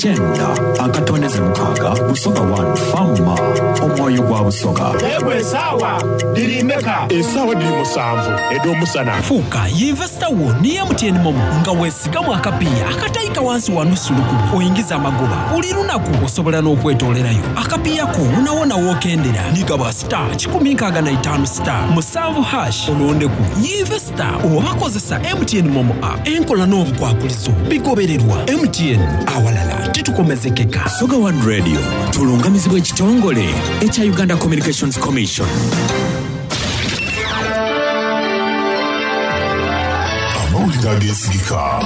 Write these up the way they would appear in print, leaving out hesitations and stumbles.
Kyenda akatondeze mukaaga Busoga One Fama omwoyo gwa Busoga. Ego esaawa dhiri meka? Esaawa dhiri musanvu edh'omusana. Fuuka yinvesita wo ni MTN MoMo nga wesigamu akapiiya akataika wansi wa nusu lukumi oingize amagoba buli lunaku. Osobola n'okwetoolerayo akapiiya ko wonawona w'okendera ni gaba star 165 star musanvu hash olondeku yinvesita oba kozesa MTN MoMo app. Enkola n'obukwakulizo bigobererwa. MTN, awalala titukomezekeka. Busoga One Radio tulungamizibwa ekitongole ekya Uganda Communications Commission. Amawulire ageesigika.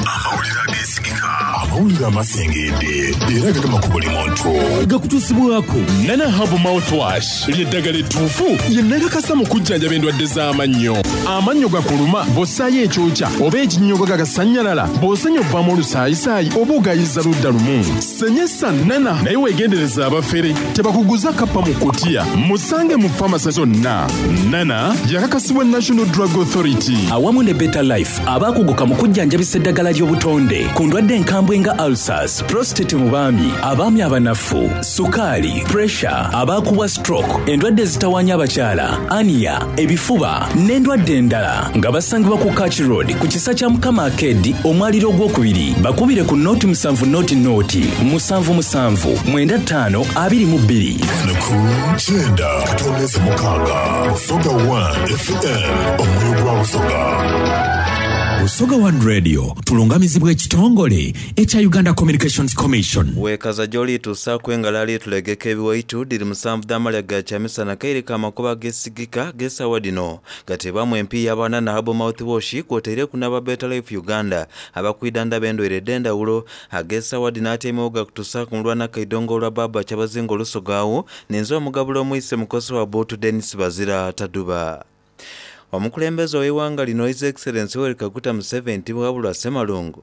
Amawulire amasengedde era agagema ku buli muntu. Gakutuusibwaku Nana Herbal Mouthwash lye ddagala ettuufu lye nakakasa mu kujjanjaba endwadde z'amannyo. Amannyo gakuluma bw'ossaayo ekyokya oba ekinnyogoga gasannyalala, bw'osenya ovaamu olusaayisaayi oba ogayiza ludda lumu. Senyesa Nana naye weegendereze abafere tebakuguza kappa mu kkutiya. Musange mu famase zonna. Nana yakakasibwa National Drug Authority. Awamu ne Better Life abaakuguka mu kujjanjabisa eddagala ly'obutonde ku ndwadde enkambwe nga ulcers, prostate mu baami, abaami abanafu, sukaali, pressure, abaakubwa stroke, endwadde ezitawaanya abakyala, ania, ebifuba n'endwadde endala nga basangibwa ku Kach Road ku kisa kya Mukama Arcade omwaliro ogwokubiri. Bakubire ku nooti musanvu nooti nooti musanvu musanvu mwenda ttaano abiri mu bbiri. Ku kyenda katondeze mukaaga Busoga 1 FM omwoyo gwa Busoga. Busoga One Radio tulungamizibwa ekitongole ekya Uganda Communications Commission. Weekaza gy'olituusaaku engalo alitulegeka ebiwaitu, dhiri musanvu dh'amalya ga kyamisana kaire ka makubo ageesigika ag'esaawa dhino gateebwamu empiiya aba Nana Herbal Mouthwash kwotaireku n'aba Better Life Uganda abakwidhandhaba endwaire edh'endhawulo. Ag'esaawa dhino atyaimegho gakutuusaaku mulwana Kaidongo olwa Bbaabba Kyabazinga Olusoga agho ninze omugabula omwise mukosi wa Buutu Denis Bazira Taduba. Omukulembeze ow'eighanga lino His Excellency Yoweri Kaguta Museveni Tibuhaburwa Ssemalungu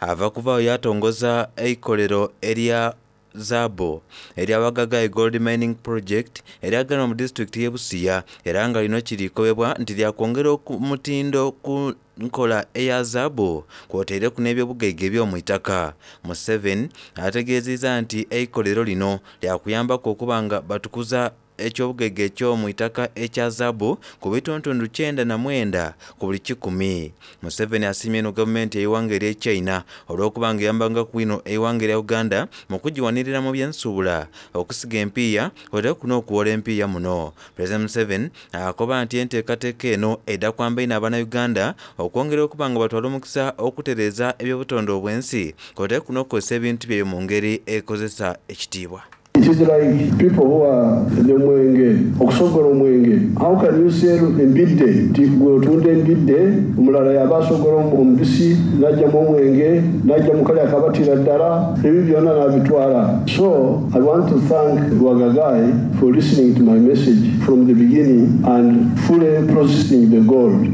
ava kuvaagho yaatongoza eikolero erya zaabu erya Wagagai Gold Mining Project eryaganibwa mu disitulikiti y'e Busia era nga lino kiri kobebwa nti lyakwongera omutindo ku nkola eya zaabu kwotaireku n'ebyobugaiga eby'omu itaka. Museveni ategeziiza nti eikolero lino lyakuyambaku okuba nga batukuza eky'obugaiga eky'omu itaka ekya zaabu ku bitundutundu 99 ku buli kikumi. Museveni asiimye inho gavumenti y'eighanga ery'e China olw'okuba nga eyambangaku inho eighanga erya Uganda mu kugiwanirira mu by'ensuubula, okusiga empiiya kwotaku n'okuwola empiiya muno. Pulezidenti Museveni akoba nti enteekateeka eno edha kwamba inho Abanauganda okwongera okuba nga batwala omukisa okutereeza eby'obutonde obw'ensi kwotaku n'okukozesa ebintu byaibwe mu ngeri ekozesa ekitiibwa. It is like people who are the mwenge, okusogola omwenge. How can you sell embidde? Nti gwe otunda embidde, omulala yaba asogola omubisi, n'ajjamu omwenge, n'ajja mu kale akabatira ddala, ebyo byonna n'abitwala. So I want to thank Wagagai for listening to my message from the beginning and fully processing the gold.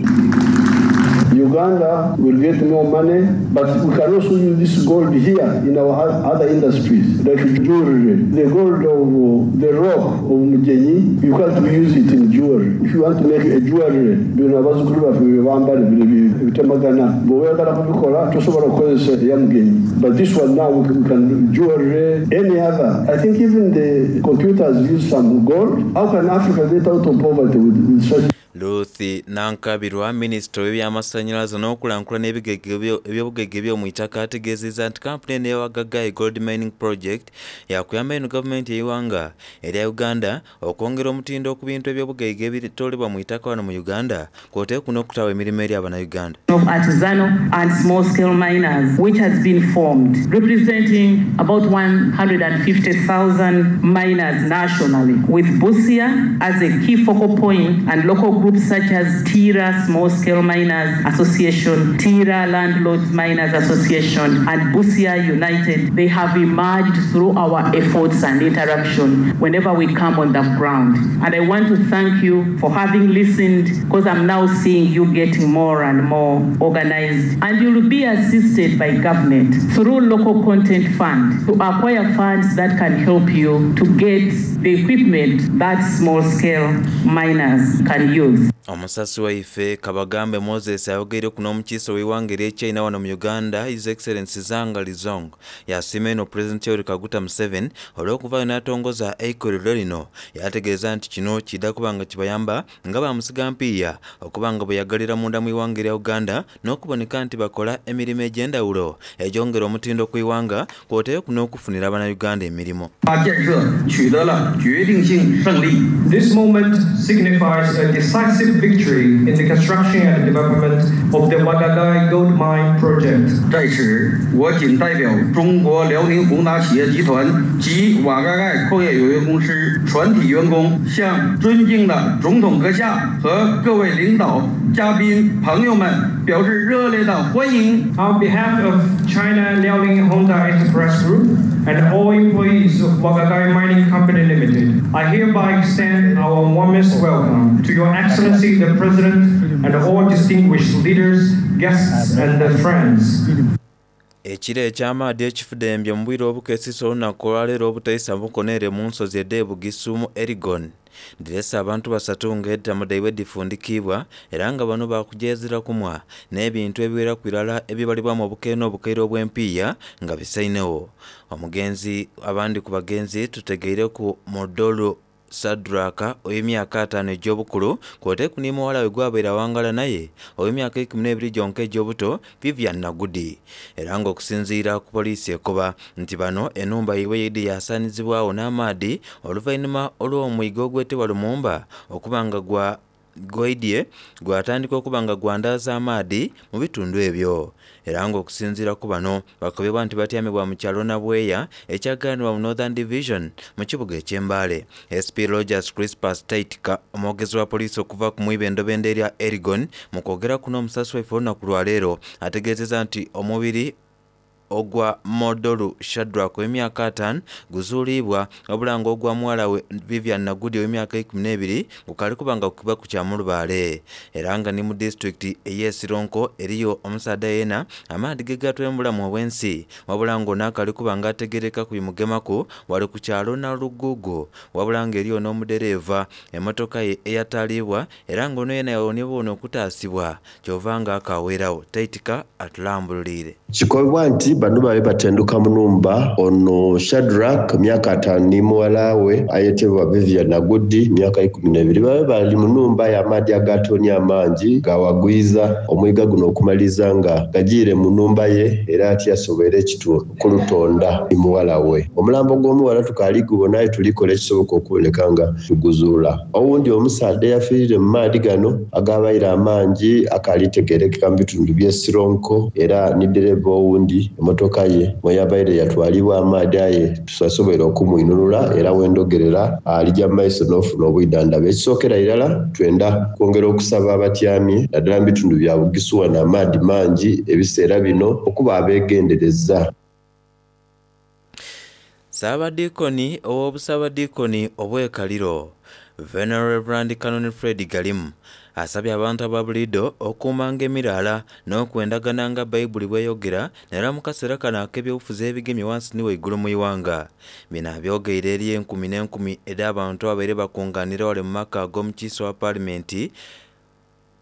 Uganda will get more money, but we can also use this gold here in our other industries, like jewelry. The gold of the rock of Mugenyi, you can't use it in jewelry. If you want to make a jewelry, bino abazzukulu baffe bye bambala bino ebitemagana, bw'oyagala kubikola tosobola kukozesa eya Mugenyi. But this one now we can jewelry, any other. I think even the computers use some gold. How can Africa get out of poverty with such? Ruth Nankabirwa, minisita ow'ebyamasannyalaze n'okulankulana eby'obugaiga eby'omu itaka ategeezezza nti kampuni eno eya Wagagai Gold Mining Project yakuyamba inho gavumenti y'eighanga erya Uganda okwongera omutindo ku bintu eby'obugaiga ebitoolebwa mu itaka wano mu Uganda kwoteeku n'okutaagho emirimo eri Abanauganda. Of artisanal and small scale miners which has been formed representing about 150,000 miners nationally with Busia as a key focal point and local groups such as Tira Small Scale Miners Association, Tira Landlords Miners Association and Busia United. They have emerged through our efforts and interaction whenever we come on the ground. And I want to thank you for having listened, because I'm now seeing you getting more and more organized. And you will be assisted by government through local content fund to acquire funds that can help you to get the equipment that small scale miners can use. Omusasi waife Kabagambe Moses ayogeireku n'omukiise ow'eighanga erye China wano mu Uganda His Excellency Zhang Lizhong yasiima inho Pulezidenti Yoweri Kaguta Museveni olw'okuvaayo n'atongoza eikolero lino yategeeza nti kino kiidha kuba nga kibayamba nga ba musigampiiya okuba nga beyagalira munda mu ighanga erya Uganda n'okuboneka nti bakola emirimo egy'endhawulo egyongera omutindo ku ighanga kwotaireku n'okufunira Bannayuganda emirimo. This moment signifies a decisive victory in the construction and development of the Wagagai Gold Mine Project. 在此，我谨代表中国辽宁宏达企业集团及瓦盖盖矿业有限公司全体员工，向尊敬的总统阁下和各位领导、嘉宾、朋友们表示热烈的欢迎。 On behalf of China Liaoning Honda Enterprise Group and all employees of Wagagai Mining Company Limited, I hereby extend our warmest welcome to Your Excellency the President and all distinguished leaders, guests, and friends. Ekire eky'amaadhi ekifudembye mu bwire obukesisa olunaku olwaleero obutaisa bukono ere mu nsozi edh'e Bugisu mu Elgon dhirese abantu basatu nga entamu dhaibwe dhifundikibwa era nga bano bakujeezera kumwa n'ebintu ebiweraku irala ebibalibwamu obukaire n'obukaire obw'empiiya nga bisainegho. Omugenzi abandi ku bagenzi tutegeireku Modolu Sadraka ow'emyaka ataano egy'obukulu kw'oteeku ni muwala we gwabaire awangala naye ow'emyaka 12 gyonka egy'obuto Vivian Nagudi. Era nga okusinziira ku poliisi ekoba nti bano enhumba yaibwe yaidhi yasaanizibwagho n'amaadhi oluvainhuma olw'omwiga ogwetebwa Lumumba okuba nga gwa gwaidhye gwatandika okuba nga gwandaaza amaadhi mu bitundu ebyo. Era nga okusinziira ku bano bakobebwa nti batyamibwa mu kyalo Nabweya ekyagaanibwa mu Northern Division mu kibuga eky'e Mbale. SP Rogers Crispus Taitika omwogezi wa poliisi okuva ku mwibendobendo erya Elgon mu kwogeraku n'omusasi waife olunaku lwaleero ategeezezza nti omubiri ogwa Modolu Shadrack ow'emyaka ataano guzuuliibwa wabula nga ogwa muwala we Vivian Nagudi ow'emyaka 12 gukaali kuba nga gukubwa ku Kyamulubaale. Era nga ni mu disitulikiti ey'e Sironko eriyo omusaadha yeena amaadhi ge gatwaire mu bulamu obw'ensi wabula nga ono akaali kuba nga ategeerekaku bimugemaku wali ku kyalo Nalugugu wabula nga eriyo n'omudereeva emotoka ye eyataliibwa era nga ono yeena yawonye buwone okutaasibwa kyova nga akaweeragho. Taitika atulambululiire. Kikobebwa nti bano babe batenduka mu nhumba, ono Shadrack, myaka ataanu ni mughala we ayetebwa Vivian Nagudi, myaka 12, babe bali mu nhumba aye amaadhi agaatoonye amangi gaawagwiza omwiga guno okumaliriza nga gajiire mu nhumba ye era tiyasoboire ekitundu kulutonda ni mughala we. Omulambo gw'omughala tukaali gubona aye tuli kola ekisoboka okuboneka nga tuguzuula. Owundi omusaadha eyafiirire mu maadhi gano agaabaire amangi akaali tegeerekeka mu bitundu by'e Sironko era ni ddereeva owundi emotoka ye mweyabaire yatwalibwa amaadhi aye tusasoboire okumwinunula era wendhogerera alija mu maiso n'ofuna obwidhandhabi. Ekisookera irala twenda kwongera okusaba abatyamye naddala mu bitundu bya Bugisu wano amaadhi mangi ebiseera bino okuba abegendereza. Ssaabadiikoni ow'Obusaabadiikoni obw'e Kaliro, Venerable Rev. Canon Fred Galimu asabye abantu aba buliidho okuumanga emiraala n'okwendagana nga Baibuli bw'eyogera naddala mu kaseera kano ak'ebyobufuzi ebigemye wansi ni waigulu mu ighanga. Bino abyogeire eri enkumi n'enkumi edh'abantu ababaire bakunganira wale mu maka ag'omukiise wa Paalimenti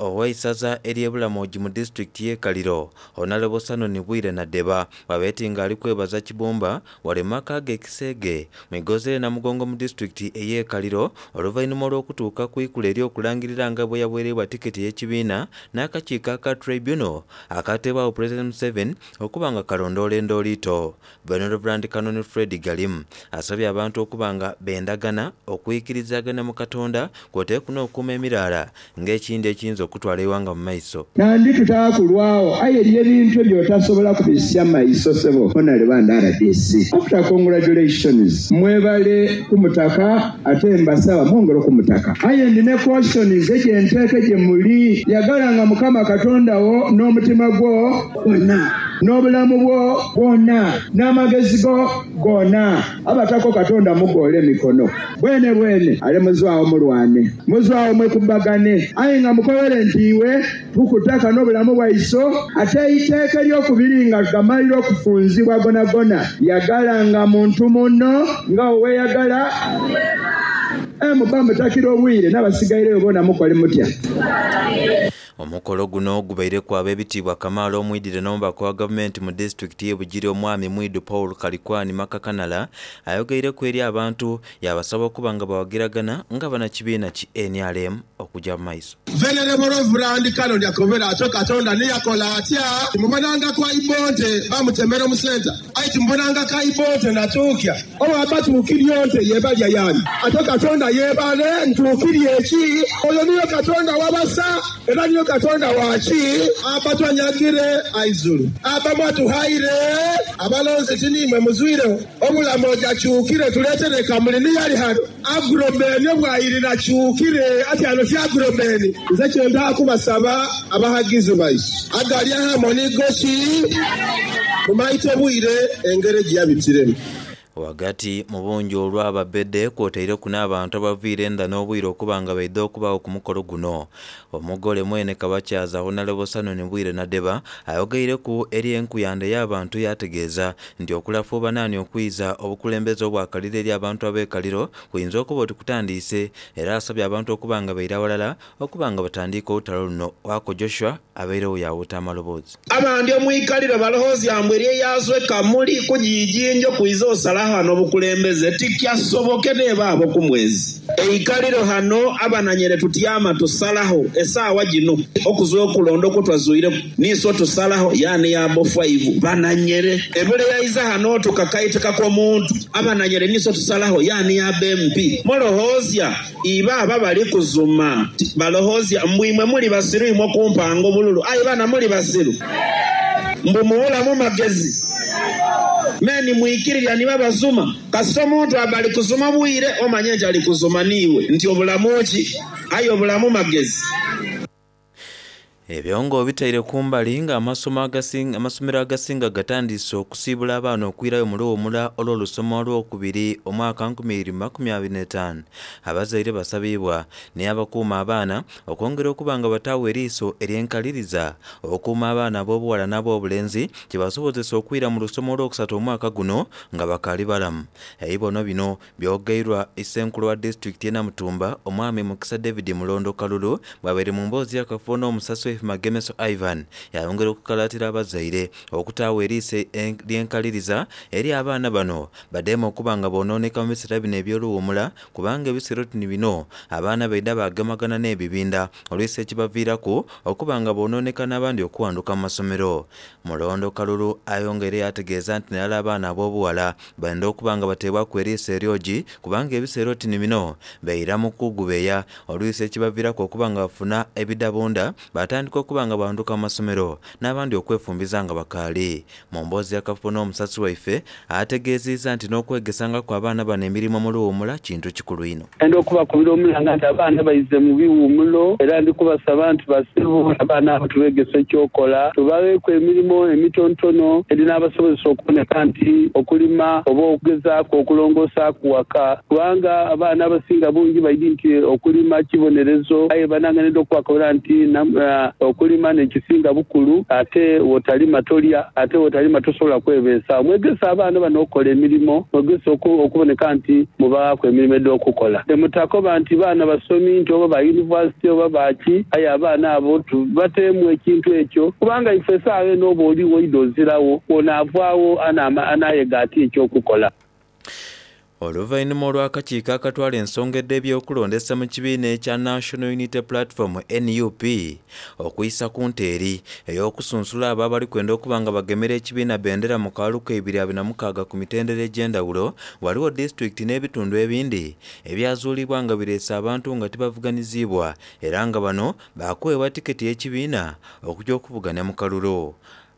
Ow'eisaza ery'e Bulamogi mu disitulikiti y'e Kaliro, Honalebo Sanoni Bwire Nadeba bw'abaire nga ali kwebaza Kibumba wale mu maka ge e Kiseege mu igoza erye Namugongo mu disitulikiti ey'e Kaliro oluvainhuma olw'okutuuka ku ikula ery'okulangirira nga bweyabwereibwa tiketi ey'ekibiina n'akakiiko aka Tribunal akateebwagho Pulezidenti Museveni okuba nga kalondoola endooliito. Venerable Canon Fred Galimu asabye abantu okuba nga bendagana, okwikirizagana mu Katonda kwotaire n'okukuuma emiraala ng'ekindi ekiyinza okutwala eighanga mu maiso. Nandi tutaakulwagho aye eriyo ebintu ebyotasobola kubisya maiso sebo Honalebo and rdc after congratulations mwebale kumutaka ate mbasaba mwongere okumutaka aye ndi ne cautions egyenteeke gyemuli yagalanga mukama katonda wo n'omutima gwo gwona n'obulamu bwo bwona n'amagezi go gona abatako katonda mugoole emikono Bwenebwene ale muzwagho mulwane, muzwagho mwekubagane, aye nga mukobere nti, Iwe tukutaka n'obulamu bwaiso. Ate eiteeka eryokubiri nga gamalire okufunzibwa gonagona, yagalanga muntu muno nga bwe weeyagala. Aye muba mutakira obwire n'abasigaireyo boona mukole mutya? Omukolo guno gubaireku ab'ebitiibwa kamaala omwidhire n'omubaka wa gavumenti mu disitulikiti y'e Bugiri Omwami Mwidu Paul Kalikwani Makakanala ayogeireku eri abantu yaabasaba okuba nga bawagiragana nga banakibiina ki nrm okuja mu maiso. Venerable Reverend Canon akobera atyo Katonda ni yakola atya? Timubonanga ku Aibonte bamutemera omusenta? Aye timubonanga ku Aibonte natuukya? Owaba tuukirye onte yebalya yani? Atyo Katonda yebale ntuukirye ki? Oyo niyo Katonda wabasa era niyo Katonda waki? Abba twanyagire aizulu. Abba mwatughaire abalonzi ti niimwe muzwiregho obulamu oja kyukire tuletere Kamuli niyo ali ghano. Agrobeni obwayirira kyukire ati ano ti Agrobeni. Nze kye nda kubasaba abaghagizi baisu agali aghamwe ni goki mumaite obwire engeri gyeyabitiremu. Ghagati mu bungi olw'ababbede kwotaireku n'abantu abaviire endha n'obwire okuba nga baidha okubaagho ku mukolo guno. Omugole mwene Kabakyaza Honalebo Sanoni Bwire Nadeba ayogeireku eri enkuyanda ey'abantu yaategeeza nti okulafuubana ni okwiza obukulembeze obw'akaliro eri abantu ab'e Kaliro kuyinza okuba oti kutandiise era asabye abantu okuba nga baira ghalala okuba nga batandiika olutalo luno. Waako Joshua abairegho yaawuuta amaloboozi. Abandi omwikaliro baloghozya mbu eriyo eyazwe Kamuli ku Jijinjo kwiza osala ghano obukulembeze. Tikyasoboke neeba abo ku mwezi. Eikaliro ghano abananyere tutyama tusalagho esaawa gino okuzwa okulonda okwetwazuireku niiso tusalagho yaani ya abo faivu bananyere. Ebule yaiza ghano tukakaitikaku omuntu abananyere niiso tusalagho yaani ya abo MP. Muloghozya Ibo aba bali kuzuma baloghozya mbu imwe muli basiru imwe okumpanga obululu. Aye bana muli basiru? Mbu mubulamu magezi? Me ni mwikirirya ni babazuma. Kasita omuntu aba ali kuzuma bwire omanye nti ali kuzuma niiwe nti obulamu ki? Aye obulamu magezi. Ebyo nga obitaire kumbali nga amasomero agasinga gatandiise okusiibula abaana okwirayo mu luwumula olw'olusoma olwokubiri omwaka 2025, abazaire basabiibwa ni abakuuma abaana okwongera okuba nga bataagho eriiso ery'enkaliriza okuuma abaana ab'obuwala n'abobulenzi kibasobozese okwira mu lusoma olwokusatu omwaka guno nga bakaali balamu. Ebibono bino Byogeirwa Isenkulu wa disitulikiti y'e Namutumba, Omwami Mukisa David Mulondo Kalulu bw'abaire mu mboozi y'akafubo n'omusasi waife Magemeso Ivan yayongera okukalaatira abazaire okutaagho eriiso ly'enkaliriza eri abaana bano badheeme okuba nga bonooneka mu biseera bino eby'oluwuumula kubanga ebiseera oti ni bino abaana baidha baagemagana n'ebibinda oluisi ekibaviiraku okuba nga bonooneka n'abandi okuwanduka mu masomero. Mulondo Kalulu ayongeire yaategeeza nti naddala abaana ab'obuwala Benda okuba nga bateebwaku eriiso eryogi kubanga ebiseera oti ni bino baira mu kugubeeya olwisi ekibaviiraku okuba nga bafuna ebidabunda baatandika okuba nga banduka mu masomero n'abandi okwefumbiza nga bakaali. Mu mboozi y'akafubo n'omusasi waife ategeeziiza nti n'okwegesangaku abaana bano emirimo mu luwuumula kintu kikulu inho. Ndenda okubakubira omulanga nti abaana baize mu biwumulo era ndi kubasaba nti basebo abaana abo tubegese ekyokola, tubagheeku emirimo emitontono edhinabasobozesa okuboneka nti okulima oba okugezaaku okulongosaaku waka kubanga abaana abasinga bungi baidhi nti okulima kibonerezo aye banange nenda okubakobera nti okulima n'ekisinga bukulu ate bwotalima tolya ate bwotalima tosobola kwebeesaawo. Mwegese abaana bano okukola emirimo, mwegese okuboneka nti Mubaghaaku emirimo edh'okukola. Mutakoba nti baana basomi nti oba ba yunivasite oba ba ki, aye abaana abo tubateemu ekintu ekyo kubanga ife esaagha eno oba oligho oidha oziragho, bw'onaavaagho anaayega atya eky'okukola? Oluvainhuma olw'akakiiko akatwala ensonga edh'ebyokulondesa mu kibiina ekya National Unity Platform, nup, Okwisa ku nte eri ey'okusunsula abo abali kwenda okuba nga bagemera ekibiina bendera mu kalulu ka 2026 ku mitendera egy'endhawulo, ghaligho disitulikiti n'ebitundu ebindi ebyazuulibwa nga bireese abantu nga tibavuganiziibwa era nga bano baakuweebwa tiketi y'ekibiina okugya okuvugania mu kalulu.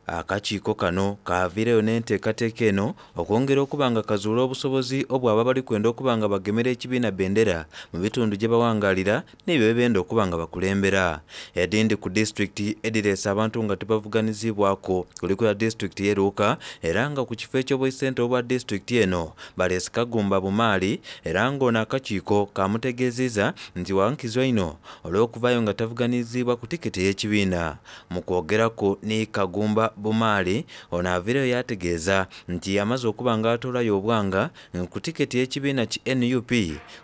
Akakiiko kano kaaviireyo n'enteekateeka eno okwongera okuba nga kazuula obusobozi obw'abo abali kwenda okuba nga bagemera ekibiina bendera mu bitundu gye bawangaalira n'ebyo bye benda okuba nga bakulembera. Edhindi ku disitulikiti edhireese abantu nga tibavuganiziibwaku kuliku ya disitulikiti y'e Luuka era nga ku kifo eky'obwaisentebe obwa disitulikiti eno baleese Kagumba Bumaali era nga ono akakiiko kaamutegeeziiza nti wa nkizo inho olw'okuvaayo nga tavuganiziibwa ku tikiti ey'ekibiina. Mu kwogeraku ni Kagumba Bumaali ono aviireyo yaategeeza nti amaze okuba nga atoolayo obwanga ku tiketi y'ekibiina ki nup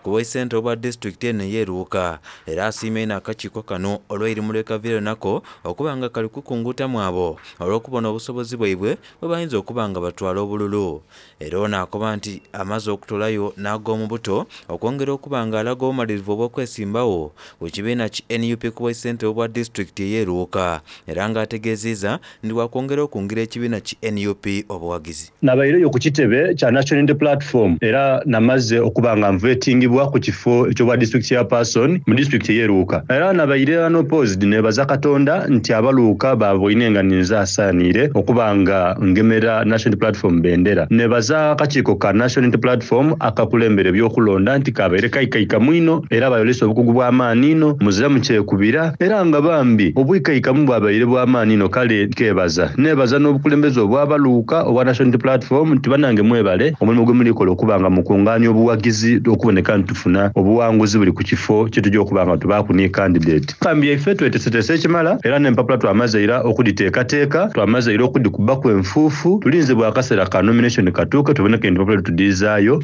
ku bwaisentebe obwa disitulikiti eno ey'e Luuka era asiimye inho akakiiko kano olw'eirimu lwekaviireyo nako okuba nga kali kukunguutamu abo olw'okubona obusobozi bwaibwe bwebayinza okuba nga batwala obululu. Era ono akoba nti amaze okutolayo n'ag'omubuto okwongera okuba nga alaga obumalirivu obw'okwesimbawo ku kibiina ki nup ku bwaisentebe obwa disitulikiti ey'e Luuka era nga ategeziiza nti wakwongera okungira ekibiina ki nup obuwagizi. Nabaireyo ku kitebe kya National Unity Platform era namaze okuba nga nvetingibwa ku kifo eky'obwa District Chairperson mu disitulikiti ey'e Luuka. Era nabaire unopposed nebaza Katonda nti aba Luuka baaboine nga ninze asaaniire okuba nga ngemera National Unity Platform bendera. Nebaza akakiiko ka National Unity Platform akakulembera eby'okulonda nti kabaire kaikaikamu inho era bayolesa obukugu bw'amaani inho, muzira mu kyekubira era nga bambi obwikaikamu bwabaire bw'amaani inho kale nkebaza. Nebaza n'obukulembeze obw'abaluuka obwa National Unity Platform nti banange mwebale omulimu gwemuli kola okuba nga mukungaania obuwagizi okuboneka nti tufuna obuwanguzi buli ku kifo kyetuja okuba nga tubaaku ni kandidate. Kambi yaife tweteseteese ekimala era n'empapula twamaze ira okudhiteekateeka, twamaze ira okudhikubaku enfuufu, tulinze bwa kaseera ka nomination katuuke tuboneke nti empapula tudhiizaayo.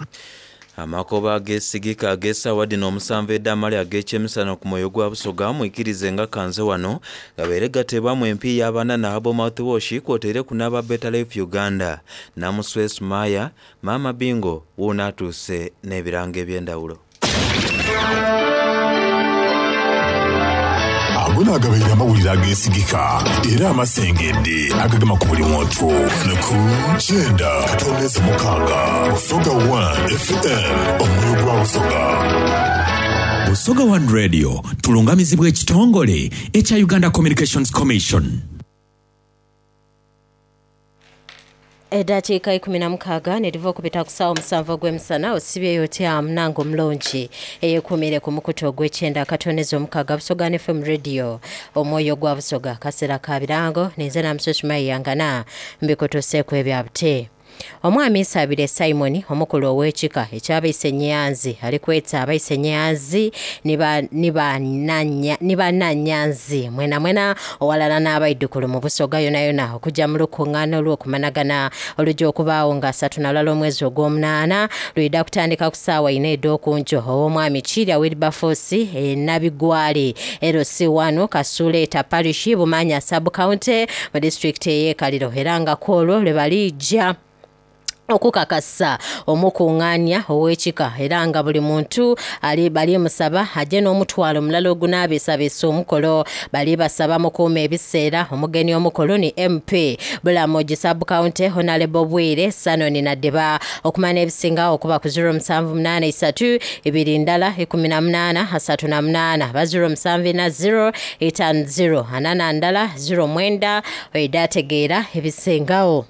Amakoba ageesigika ag'esaawa dhino omusanvu edh'amale ag'ekyemisana ku mwoyo gwa Busoga mwikirize nga kanze wano gabeere gateebwamu empiiya abanana Herbal Mouthwash kwotaireku n'aba Better Life Uganda. Namuswe Sumaya, Maama Bingo wuuno atuuse n'ebirango eby'endhawulo. Ago naagabaire amawulire ageesigika era amasengedde agagema ku buli muntu ni ku kyenda katoneze mukaaga Busoga One FM omwoyo gwa Busoga. Busoga One Radio tulungamizibwa ekitongole ekya Uganda Communications Commission. Edhakiika 16 nedhiva okubita ku saawa omusanvu ogw'emisana osibyeyo otya munange omulungi eyekuumiire ku mukutu ogw'ekyenda akatondeze omukaaga Busoga FM Radio omwoyo gwa Busoga kaseera ka birango ninze Namuso Sumayi Yangana mbikutuuseeku ebya buti. Omwami Nsabire Simon omukulu ow'ekika eky'abaise Nyanzi ali kweta abaise Nyanzi ni bananyanzi mwenamwena Owalala n'abaidhukulu mu Busoga yonayona okuja mu lukungaana olw'okumanagana oluja okubaagho nga 31 omwezi ogw'omunaana. Lwidha kutandika ku saawa ina edh'okunkyo ow'omwami Kirya Wilberforce e Nabigwali LC I Kasuuleeta Parish Bumaanya Sub County mu disitulikiti ey'e Kaliro era nga kwolwo lwebaliija okukakasa omukungaania ow'ekika era nga buli muntu ali balimusaba aje n'omutwalo mulala ogunaabiisabiisa omukolo. Balibasaba mukuume ebiseera. Omugeni omukulu ni MP Bulamogi Sub County Honalebo Bwire Sanoni Nadeba. Okumanya ebisingagho kuba ku ziro musanvu munaana isatu ibiri ndala ikumi na munaana asatu na munaana ba ziro musanvu ina ziro itaanu ziro ana na ndala ziro mwenda oidha ategeera ebisingagho.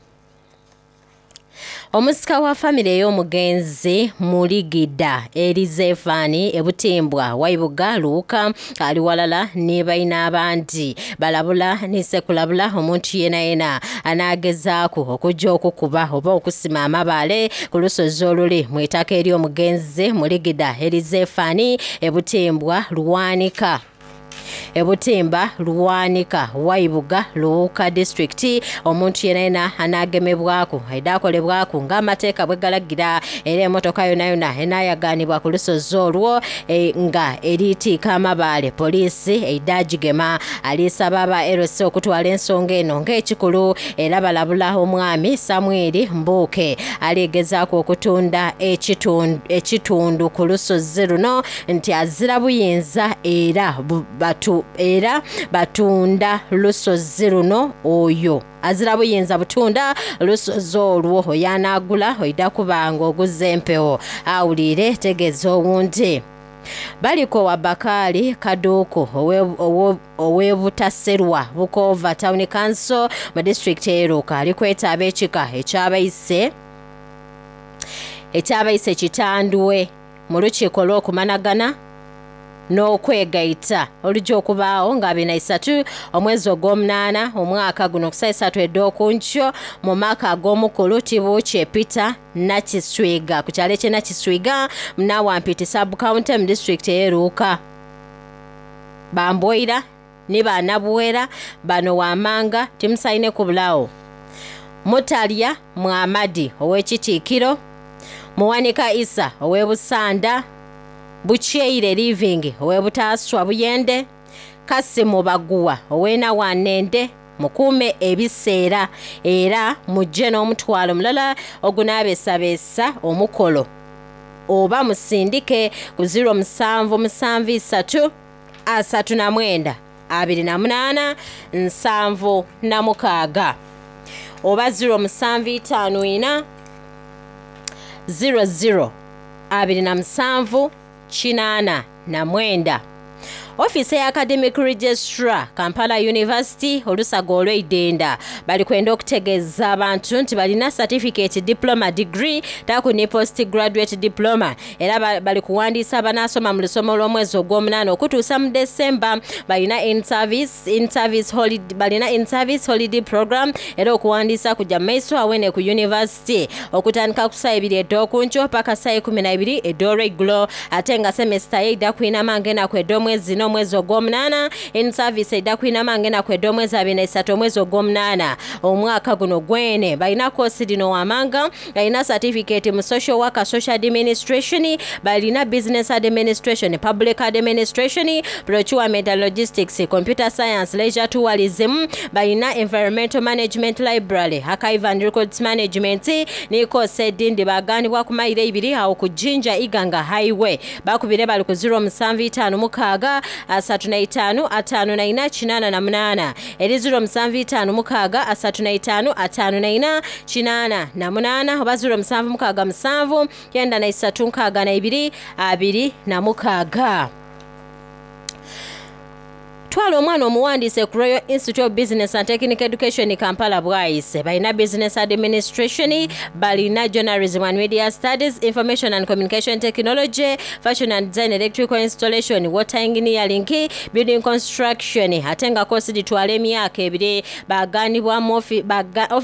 Omusika wa famire ey'omugenzi Muligida Elizefani e Butimbwa, Waibuga, Luuka ali walala ni baine abandi balabula ni sekulabula omuntu yenayena anaagezaaku okuja okukuba oba okusima amabaale ku lusozi oluli mu itaka ery'omugenzi Muligida Elizefani e Butimbwa, Lwanika. E Butimba, Lwanika, Waibuga, Luuka disitulikiti, omuntu yenayena anaagemebwaku aidha akolebwaku ng'amateeka bwe galagira era emotoka yonayona enaayagaanibwa ku lusozi olwo nga eriitiika amabaale poliisi eidha agigema. Alisaba aba LC okutwala ensonga eno ng'ekikulu era balabula omwami Samwiri Mbuuke aligezaaku okutunda ekitundu ku lusozi luno nti azira buyinza era batu, era batunda lusozi luno oyo azira buyinza butunda lusozi olwo oyo anaagula oidha kuba nga oguze empewo awuliire tegeeza owundi. Baliko wa Bakaali Kaduuku ow'e Butaserwa Bukoova Town Council mu disitulikiti ey'e Luuka ali kweta ab'ekika eky'abaise eky'abaise Kitandwe mu lukiiko olw'okumanagana n'okwegaita oluja okubaagho nga 23 omwezi ogw'omunaana omwaka guno ku saa isatu edh'okunkyo mu maka ag'omukulu Tibuukye Peter Nakiswiga ku kyalo eky'e Nakiswiga mu Nawampiti Sub County mu disitulikiti ey'e Luuka. Bambwoira. ni Banabwera bano wamanga timusaine kubulagho. Mutalya Mwamadi ow'Ekitiikiro, Muwanika Isa ow'e Busanda, Bukyeire Living ow'e Butaaswa Buyende, Kasimu Baguwa ow'e Nawanende. Mukuume ebiseera era mujje n'omutwalo mulala ogunaabeesabeesa omukolo oba musindike ku 0773 39 28 76 oba 0754 00 27 89. Ofiisi ya Academic Registrar Kampala University olusaga olw'eidenda bali kwenda okutegeeza abantu nti balina certificate, diploma, degree taku ni post graduate diploma era bali kuwandiisa abanaasoma mu lusomo lw'omwezi ogw'omunaana okutuusa mu December. Balina in-service, in-service holiday, balina in-service holiday program era okuwandiisa kujja mu maiso awene ku university okutandika ku ssaawa ibiri edh'okunkyo paka ssaawa 12 edh'olweigulo ate nga semester yeidha kwinama ng'enaku edh'omwezi n'omwezi ogw'omunaana. In-service eidha kwinama ng'enaku edh'omwezi 23 omwezi ogw'omunaana omwaka guno gwene. Balina koosi dhino wamanga, balina certificate mu social worker, social administration, balina business administration, public administration, procurement and logistics, computer science, leisure tourism, balina environmental management, library, archive and records management ni koosi edindi. Baganibwa ku mayiro ibiri awo ku Jinja Iganga Highway. Bakubire bali ku 0756 35 54 88 eri 0756 35 54 88 oba 0767 93 62 26. Twala omwana omuwandiise ku Royal Institute of Business and Technical Education Kampala Bwaise. Balina Business Administration, balina Journalism and Media Studies, Information and Communication Technology, Fashion and Design, Electrical Installation, Water Engineering, Building Construction. Ate nga kosi ditwala emyaka ebiri. Baganibwa mu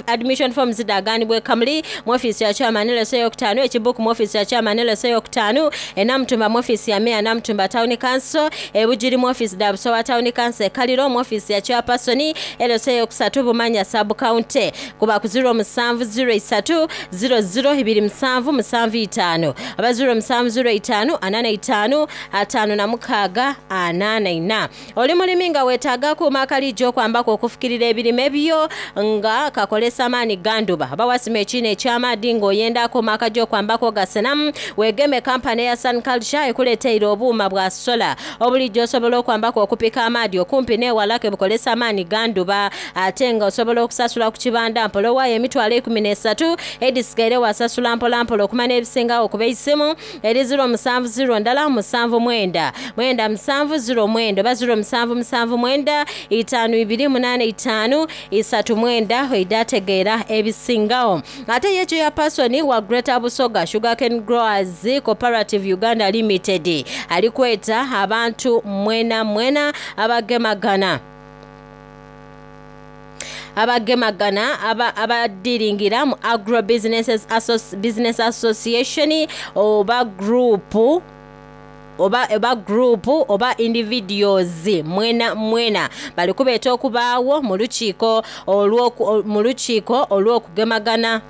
admission forms daganibwa e Kamuli mu ofiisi ya chairman LSA yokutaano, Ekibuku mu ofiisi ya chairman LSA yokutaano, e Namutumba mu ofiisi ya Mayor Namutumba Town Council, e Bugiri mu ofiisi da Busowa Town Council, e Kaliro mu ofiisi ya chairperson LSA yokusatu, Bumanya Sub County. Kuba ku 0703 00 27 75 aba 0705 45 56 44. Oli mulimi nga weetaaga akuuma akalijja okwambako okufukirira ebirime byo nga kakolesa maani ganduba oba wasima ekiina eky'amaadhi ng'oyenda akuuma akajja okwambako gasenamu, weegeme kampani eya Sun Culture ekuleeteire obuuma bwa sola obulijjo osobola okwambako okupika amaadhi okumpi n'ewala ke bukolesa amaani ganduba ate nga osobola okusasula ku kibanda mpola owaayo emitwalo 13 edisigaire wasasula mpolampola okumanya ebisingawo okuba eisimu eri 070 ndala 79 97 09 oba 0779 52 85 39 oidategeera ebisingawo. Ate ye chairperson wa Greater Busoga Sugarcane Growers Cooperative Uganda Limited ali kweta abantu mwena mwena abagemagana abadiringira mu Agro Businesses Business Association oba group oba group oba individuals mwena mwena bali kubeeta okubaawo mu lukiiko olw'okugemagana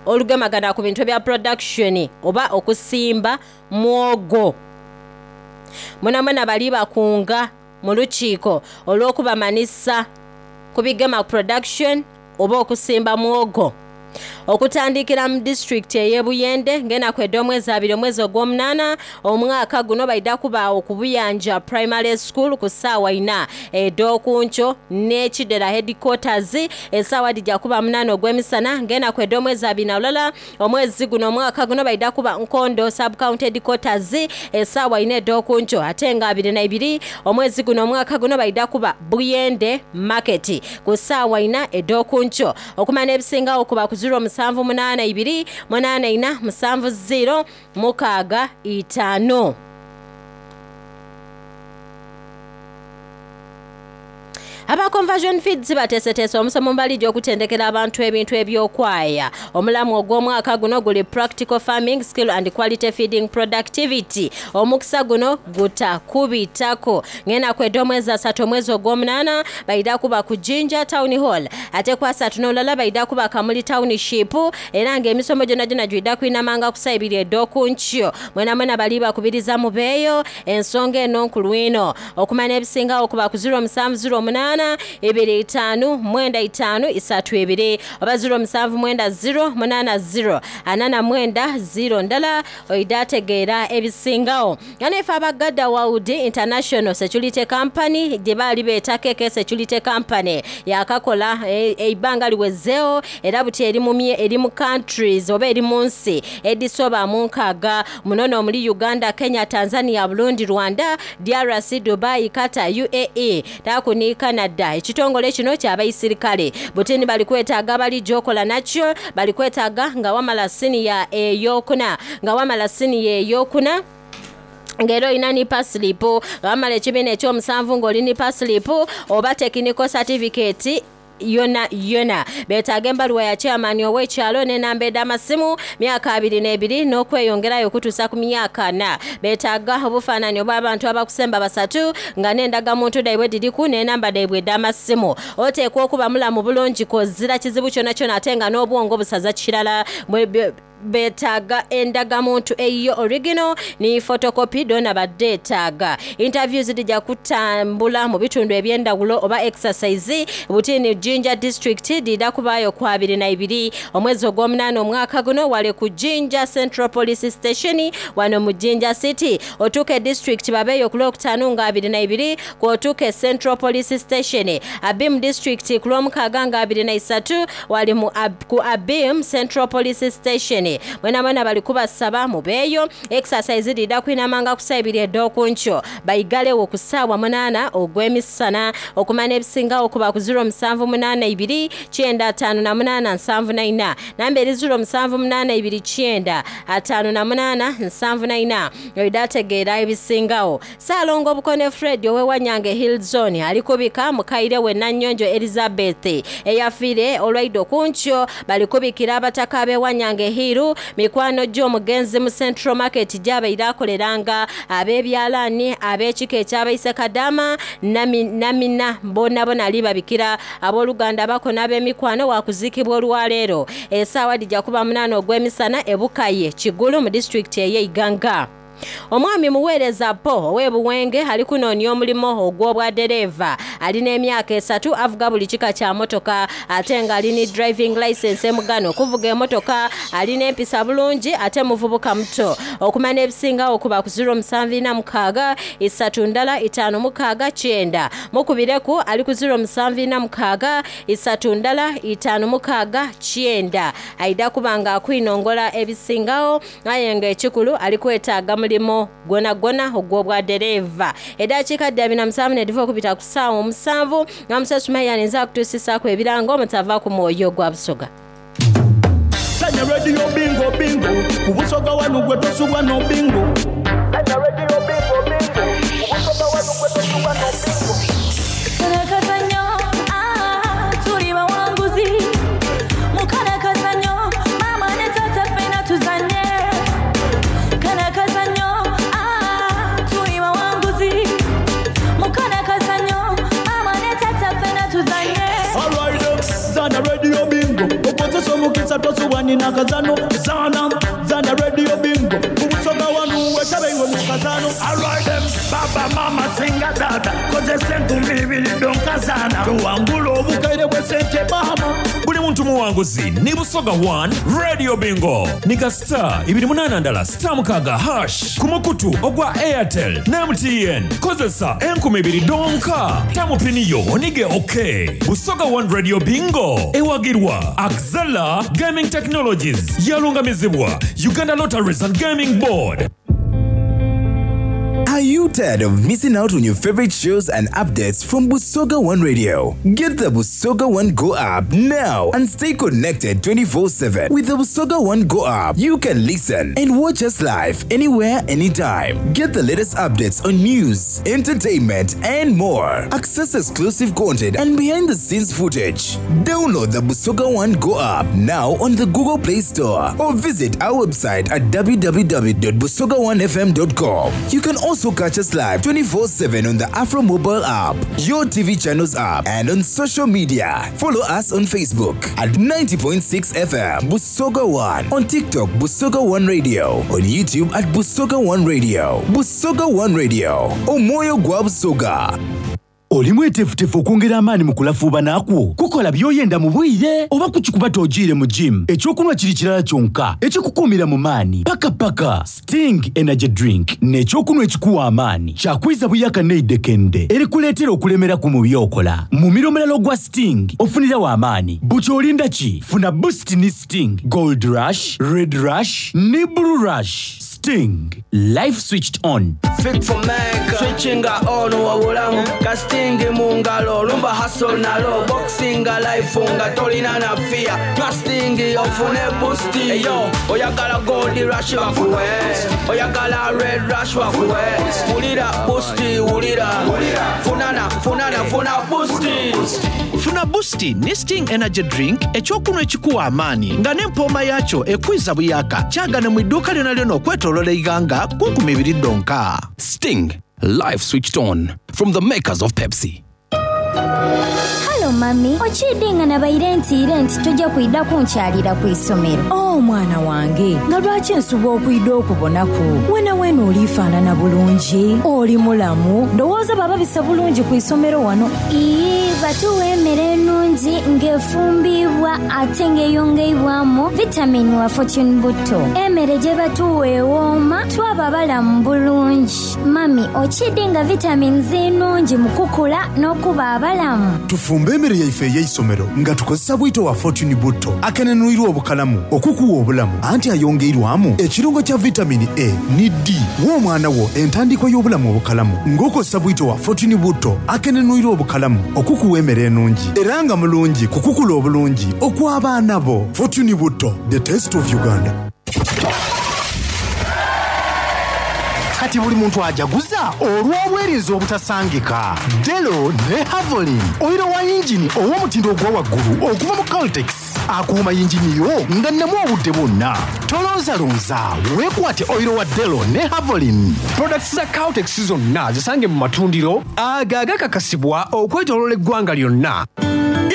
olugemagana ku bintu bya production oba okusimba mwogo. Mwena mwena bali bakunga mu lukiiko olw'okubamanisa ku bigema production oba okusimba mwogo okutandikira mu disitulikiti ey'e Buyende ng'enaku ed'omwezi abiri omwezi ogw'omunaana omwaka guno baida kubaawo ku Buyanja Primary School ku ssaawa ina ed'okunkyo n'Ekidera Headquarters essaawa dijja kuba 8 ogw'emisana ng'enaku ed'omwezi abiri na lulala omwezi guno omwaka guno baida kuba Nkondo Sub County Headquarters essaawa ina ed'okunkyo ate nga 22 omwezi guno omwaka guno baida kuba Buyende Market ku ssaawa ina ed'okunkyo. Okumanya ebisingawo kuba ku 0782 84 70 65. Aba Conversion Feeds bateeseteese omusomo mu baligi okutendekera abantu ebintu ebyokwaya. Omulamu ogw'omwaka guno guli Practical Farming Skill and Quality Feeding Productivity. Omukisa guno gutakubitako. Ng'enaku edh'omwezi asatu omwezi ogw'omunaana baidha kuba ku Jinja Town Hall, ate ku asatu n'olulala baidha kuba Kamuli Township, era ng'emisomo gyonagyona gidha kwinamanga ku saa ibiri edh'oku nkyo. Mwenamwena bali bakubiriza mubeeyo. Ensonga eno nkulu inho. Okumanya ebisingagho kuba ku 0708 25 95 32 oba 0790 80 49 0 ndala oidha ategeera ebisingagho. Nga naife aba Gada World International Security Company gye baali beeta KK Security Company yakakola eibanga liwezeegho era buti eri mu eri mu countries oba eri mu nsi edhisoba mu nkaaga muno n'omuli Uganda, Kenya, Tanzania, Burundi, Rwanda, DRC, Dubai, Qatar, UAE taaku ni Canada. Ekitongole kino kya baisirikale buti ni bali kwetaaga abalija okola nakyo, bali kwetaaga nga wamala siniya ey'okuna nga wamala siniya ey'okuna ng'era olina ni pasilipu, nga wamala ekibiina eky'omusanvu ng'oli ni pasilipu oba technical certificate yona yona. Beetaaga embaluwa ya chairman ow'ekyalo n'enamba edh'amasimu myaka 22 n'okweyongerayo okutuusa ku myaka 40. Beetaaga obufaananyi obw'abantu abakusemba basatu nga n'endagamuntu dhaibwe dhiriku n'enamba dhaibwe edh'amasimu. Oteekwa okuba mulamu bulungi kozira kizibu kyonakyona ate nga n'obwongo busaza kirala. Beetaaga endagamuntu eyiyo original ni photocopy dhona badheetaaga. Interviews dhija kutambula mu bitundu eby'endhawulo oba exercise buti ni Jinja district dhidha kubaayo ku 22 omwezi ogw'omunaana omwaka guno wale ku Jinja Central Police Station wano mu Jinja City. Otuuke district babeeyo ku lwokutaanu nga 22 kw'otuuke Central Police Station. Abim district ku lwomukaaga nga 23 wali mu ku Abim Central Police Station. Mwenamwena bali kubasaba mubeeyo. Exercise dhidha kwinamanga ku saa ibiri edh'okunkyo baigalewo ku saawa 8 ogw'emisana. Okumanya ebisingagho kuba ku 0782 958 74. Namba eri 0782 958 74 oidha ategeera ebisingagho. Ssaalongo Bukone Fred ow'e Wanyange Hill Zone ali kubika mukaire we Nanyonjo Elizabeth eyafiire olwaidho ku nkyo. Bali kubikira abataka ab'e Wanyange Hill, mikwano gy'omugenzi mu Central Market gy'abaire akoleranga, ab'ebyalaani, ab'ekika eky'abaise Kadaama, Namina bonabona ali babikira. Abooluganda abako n'ab'emikwano wakuziikibwa olwaleero. Esaawa dhija kuba munaana ogw'emisana e Bukaye, Kigulu mu disitulikiti ey'e Iganga. Omwami Muweereza Po ow'e Buwenge ali kunoonia omulimo ogw'obwadereeva. Ali n'emyaka esatu avuga buli kika kya motoka ate nga ali ni driving license emugana okuvuga emotoka. Ali n'empisa bulungi ate muvubuka muto. Okumanya ebisingagho kuba ku 0746 3 1 5 6 9. Mukubireku ali ku 0746 3 1 5 6 9. Aidha kuba nga akwinongola ebisingagho. Aye nga ekikulu ali kwetaaga mulimo gwonagwona ogw'obwadereeva. Edaakiika dha 47 nedhiva okubita ku saawa omusanvu nga Musa Sumaya ninze akutuusisaaku ebirango omutava ku mwoyo gwa Busoga. Sanya radio bingo bingo ku Busoga wanu gwe tosubwa no bingo. Sanya radio bingo bingo ku Busoga wanu gwe tosubwa no bingo. Kano akazannyo, ah, tuli bawanguzi. Mu kano akazannyo, maama ne taata ffenna tuzannye. Kano akazannyo, ah, tuli bawanguzi. Mu kano akazannyo, maama ne taata ffenna tuzannye. Alright, zana radio bingo okozesa omukisa tosubwa nina kazano zana zana radio bingo ku Busoga wanu wetabe iwe mu kazano. Alright, baba mama singa dada kozesa enkumi ibiri donkazana tuwangula obukaire bw'esente mama. Buli muntu muwanguzi ni Busoga 1 Radio Bingo ni ka star ibiri munaana ndala star mukaaga hash ku mukutu ogwa Airtel ne MTN. Kozesa enkumi ibiri dhonka tamu pini yo onige OK. Busoga 1 Radio Bingo ewagirwa Axela Gaming Technologies yalungamizibwa Uganda Lotteries and Gaming Board. Are you tired of missing out on your favorite shows and updates from Busoga One Radio? Get the Busoga One Go app now and stay connected 24 7. With the Busoga One Go app, you can listen and watch us live anywhere, anytime. Get the latest updates on news, entertainment, and more. Access exclusive content and behind the scenes footage. Download the Busoga One Go app now on the Google Play Store or visit our website at www.busoga1fm.com. You can also catch us live 24 7 on the Afro Mobile app, your TV channels app, and on social media. Follow us on Facebook at 90.6 FM Busoga One, on TikTok Busoga One Radio, on YouTube at Busoga One Radio. Busoga One Radio, Omoyo Gwa Busoga. Oli mweteefuteefu okwongera amaanyi mu kulafuubana kwo kukola by'oyenda mu bwire oba kukikuba togiire mu gym ekyokunywa kiri kirala kyonka ekikukuumira mu maanyi paka paka Sting Energy Drink n'ekyokunywa ekikuwa amaanyi kyakwiza buyaka neidekende erikuleetera okulemeraku mu by'okola. Mumiro omulala ogwa Sting ofunirawo amaanyi buti olinda ki funa boost ne Sting Gold Rush, Red Rush ne Blue Rush. Sting life switched on. Fit for make switchinga on wabulamu kastingi mu ngalo lumba hustle nalo boxinga life nga tolina na fear casting ofune boost eyo oyagala gold rush bakuwe oyagala red rush bakuwe wulira boost wulira funana funana funa boost. Funa boost ne Sting Energy Drink ekyokunywa ekikuwa amaanyi nga n'empooma yaakyo ekwiza buyaka kyagane mu idduuka lyona lyona okwetooloola eighanga ku 20 ddonka. Sting, life switched on from the makers of Pepsi. Halo mami, okidinga nabaire ntiire nti tojja kwida kunkyalira ku isomero. Oh mwana wange, nga lwaki nsuba okwida okubonaku? Wena wena olifaanana bulungi, oli mulamu, ndowooza baba bisa bulungi ku isomero wano. Ii, batuwa emmere ennungi ng'efumbiibwa ate ng'eyongeibwamu vitamini wa Fortune Butto. Emmere gye batuwa ewooma, twaba balamu bulungi. Mami, okidinga vitamini zinungi mu kukula n'okuba abalamu. Tufumbe emmere yaife ey'eisomero nga tukozesa bwito wa Fortune Butto akenenwirwa obukalamu okukuwa obulamu anti ayongeirwamu ekirungo kya vitamini A ni D. Wa omwana wo entandikwa y'obulamu obukalamu ng'okozesa bwito wa Fortune Butto akenenwirwa obukalamu okukuwa emmere enungi era nga mulungi kukukula obulungi okw'abaana bo. Fortune Butto, the taste of Uganda. Kati buli muntu ajaguza olw'obwerinzi obutasangika. Delo ne Havolin, oyiro wa yingini ow'omutindo ogwa waggulu okuva mu Caltex akuuma yingini yo nga nnemu obudde bwonna. Tolonzalonza, weekwate oyiro wa Delo ne Havolin. Products za Caltex zonna zisange mu matundiro ago agakakasibwa okwetooloola eggwanga lyonna.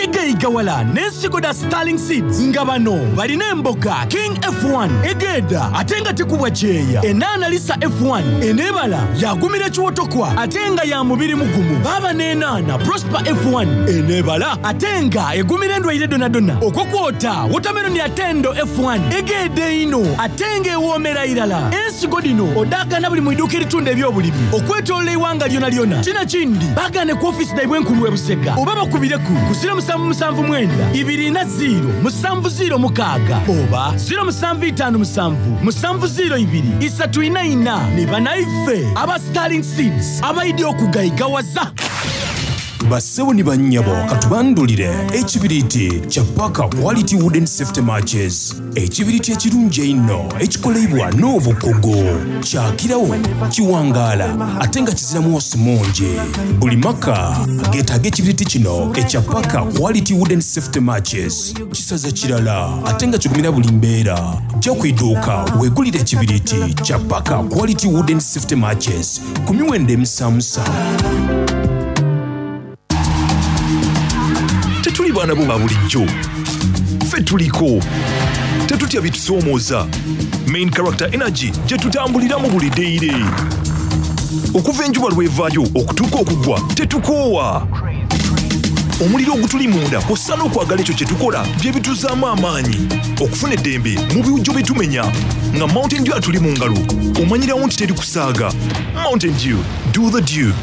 Igayigawala n'ensigo da Starling Seeds nga bano balina emboga King F1 egeeda ate nga tekubwa kyeya, enaana Lisa F1 eneebala yagumira ekiwotokwa ate nga ya mubiri mugumu, baaba n'enaana Prosper F1 eneebala ate nga egumira endwaire donadona, okwo kwota watermelon ya Tendo F1 egeeda einho ate nga ewoomera irala. Ensigo dino odaagana buli mu iduuka eritunda ebyobulimi okwetooloola eiwanga lyona lyona. Kino kindi baagaane ku ofiisi dhaibwe enkulu e Busega oba bakubireku ku 0779 20 706 oba 0757 702 344. Ni banaife aba Starling Seeds abaidi okugayigawaza. Bassebo ni bannyabo katubandulire ekibiriiti kya Parker Quality Wooden Safety Matches. Ekibiriiti ekirungi einho ekikoleibwa n'obukugu. Kyakirawo, kiwangaala ate nga kizira mwosi mungi. Buli maka geetaaga ekibiriiti kino ekya Parker Quality Wooden Safety Matches. Kisaza kirala ate nga kigumira buli mbeera. Jja ku iduuka weegulire ekibiriiti kya Parker Quality Wooden Safety Matches ku miwendo emisamusa. Tetuli baana bo ba bulijjo, ffe tuliko tetutya bitusoomooza. Main Character Energy gye tutambuliramu buli deire okuva enjuba lw'evaayo okutuuka okugwa tetukoowa. Omuliro ogutuli munda kw'ossa n'okwagala ekyo kye tukola bye bituzaamu amaanyi okufuna eddembe mu biwujjo bye tumenya. Nga Mountain Dew atuli mu ngalo omanyirawo nti teri kusaaga. Mountain Dew, do the dew.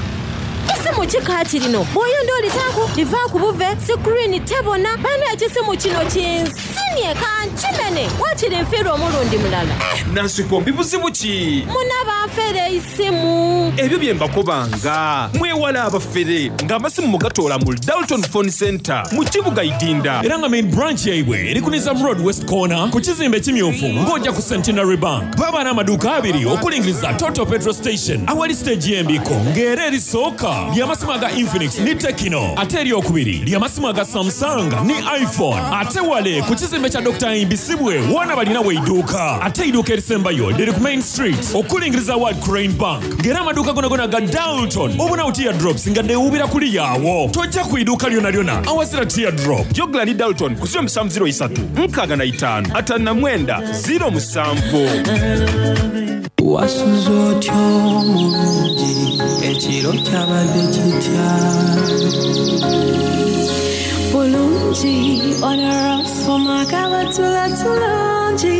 Ese mu kika kirino bw'oyonda olitaaku. Tivaaku buve, sikuriini tebona. Bane ekisimu kino kinsimye kankimene. Waakiri nfiirwa omulundi mulala. Nansikombi buzibu ki? Muna banfera eisimu. Ebyo bye mbakobanga. Mwewale abafere nga amasimu mugatoola mu Dalton Phone Centre mu kibuga Idinda. Era nga main branch yaibwe eri ku Nizam Road West Corner ku kizimbe ekimyufu ng'ojja ku Centenary Bank. Baba n'amaduuka abiri okulingiriza Total Petrol Station awali siteegi y'embiiko ng'era erisooka ly'amasimu aga Infinix ni Tecno ate eryokubiri ly'amasimu aga Samsung ni iPhone ate wale ku kizimbe kya Dr. Imbisibwe woona balina weiduuka ate eiduuka erisembayo liri ku Main Street okulingiriza World Crane Bank ng'era amaduuka gonagona ga Dalton obonawo teardrops nga dewubira kuli yaawo tojja ku iduuka lyona lyona awazira teardrop. Jogla ni Dalton ku 0703 65 59 07. Wasuze otya omulungi ekiro kyabadde kitya Bulungi onarasoma kabatula tulungi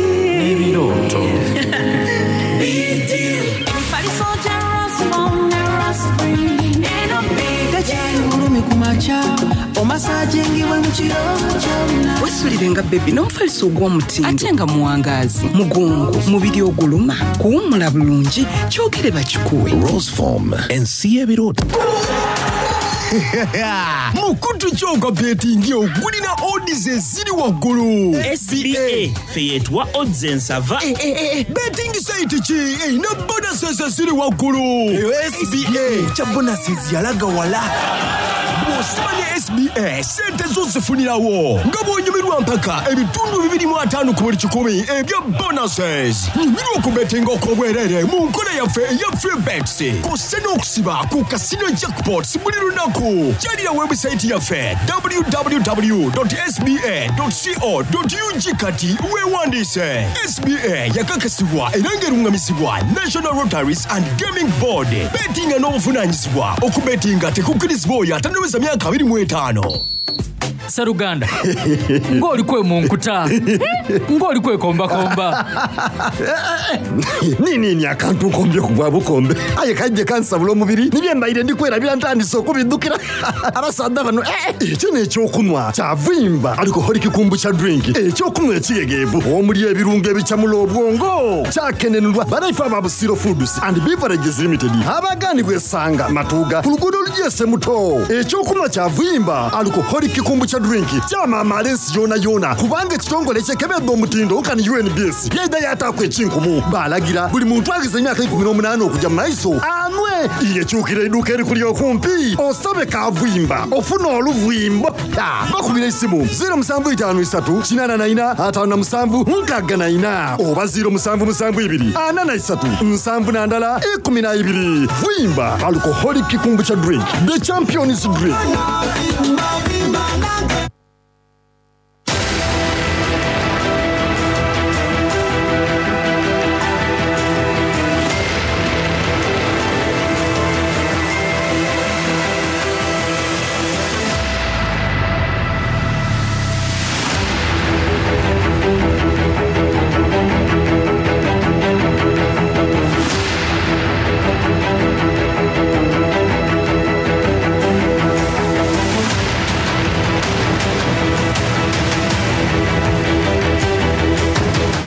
Ebirooto Emifaliso gya Rasmom ne Rasfree eno Tekyali bulumi ku makya omasajingibwe mu kiro kyonna Wesulire nga bebi n'omufaliso ogw'omutindo ate nga muwangaazi mugongo mubiri oguluma kuwummula bulungi kyogere bakikuwe Roseform ensi y'ebirooto Mukutu kyogwa betingi ogulina odds eziri waggulu. SBA ffe yeetuwa odds ensava. Betting site ki erina bonuses eziri waggulu? Eyo SBA kya bonuses yalaga wala. Bw'osiba ne SBA sente zo zifunirawo nga bw'onyumirwa mpaka ebitundu 25 ku buli kikumi ebya bonuses. Nyumirwa okubetinga okw'obwereere mu nkola yaffe eya free bets kw'ossa n'okusiba ku casino jackpots buli lunaku. Kyalira webusayiti yaffe www.sba.co.ug kati weewandiise. SBA yakakasibwa era ng'erungamizibwa National Lotteries and Gaming Board. Betinga n'obuvunaanyizibwa. Okubetinga tekukkirizibwa oyo atannaweza myaka 25. Sseruganda ng'oli kwe mu nkuta ng'oli kwekombakomba. Nini akantu nkombye ku bwa bukombe aye kajje kansabula omubiri nibye mbaire ndikwerabira ntandise okubiddukira abasaadha bano ekyo n'ekyokunwa kyavimba alcoholic kombucha drink ekyokunwa ekigegeevu omuli ebirungo ebicamula obwongo kyakenenulwa banaife aba Busiro Foods and Beverages Limited abaganibwa esanga matuuga ku luguudo olugyese muto ekyokunwa kyavimba alcoholic kombucha drink kyamamaala ensi yona yona kubanga ekitongole kyekebedde omutindo nkani UNBS yaida yataku ekinkumu balagira buli muntu agize emyaka 18 okujja mu maiso anwe yekyukira eduuka erikuli okumpi osabe kavimba ofuna oluvimbo bakubira esimu 0753 84 57 64 oba 0772 43 71 12 vimba alcoholic kombucha drink the champions drink.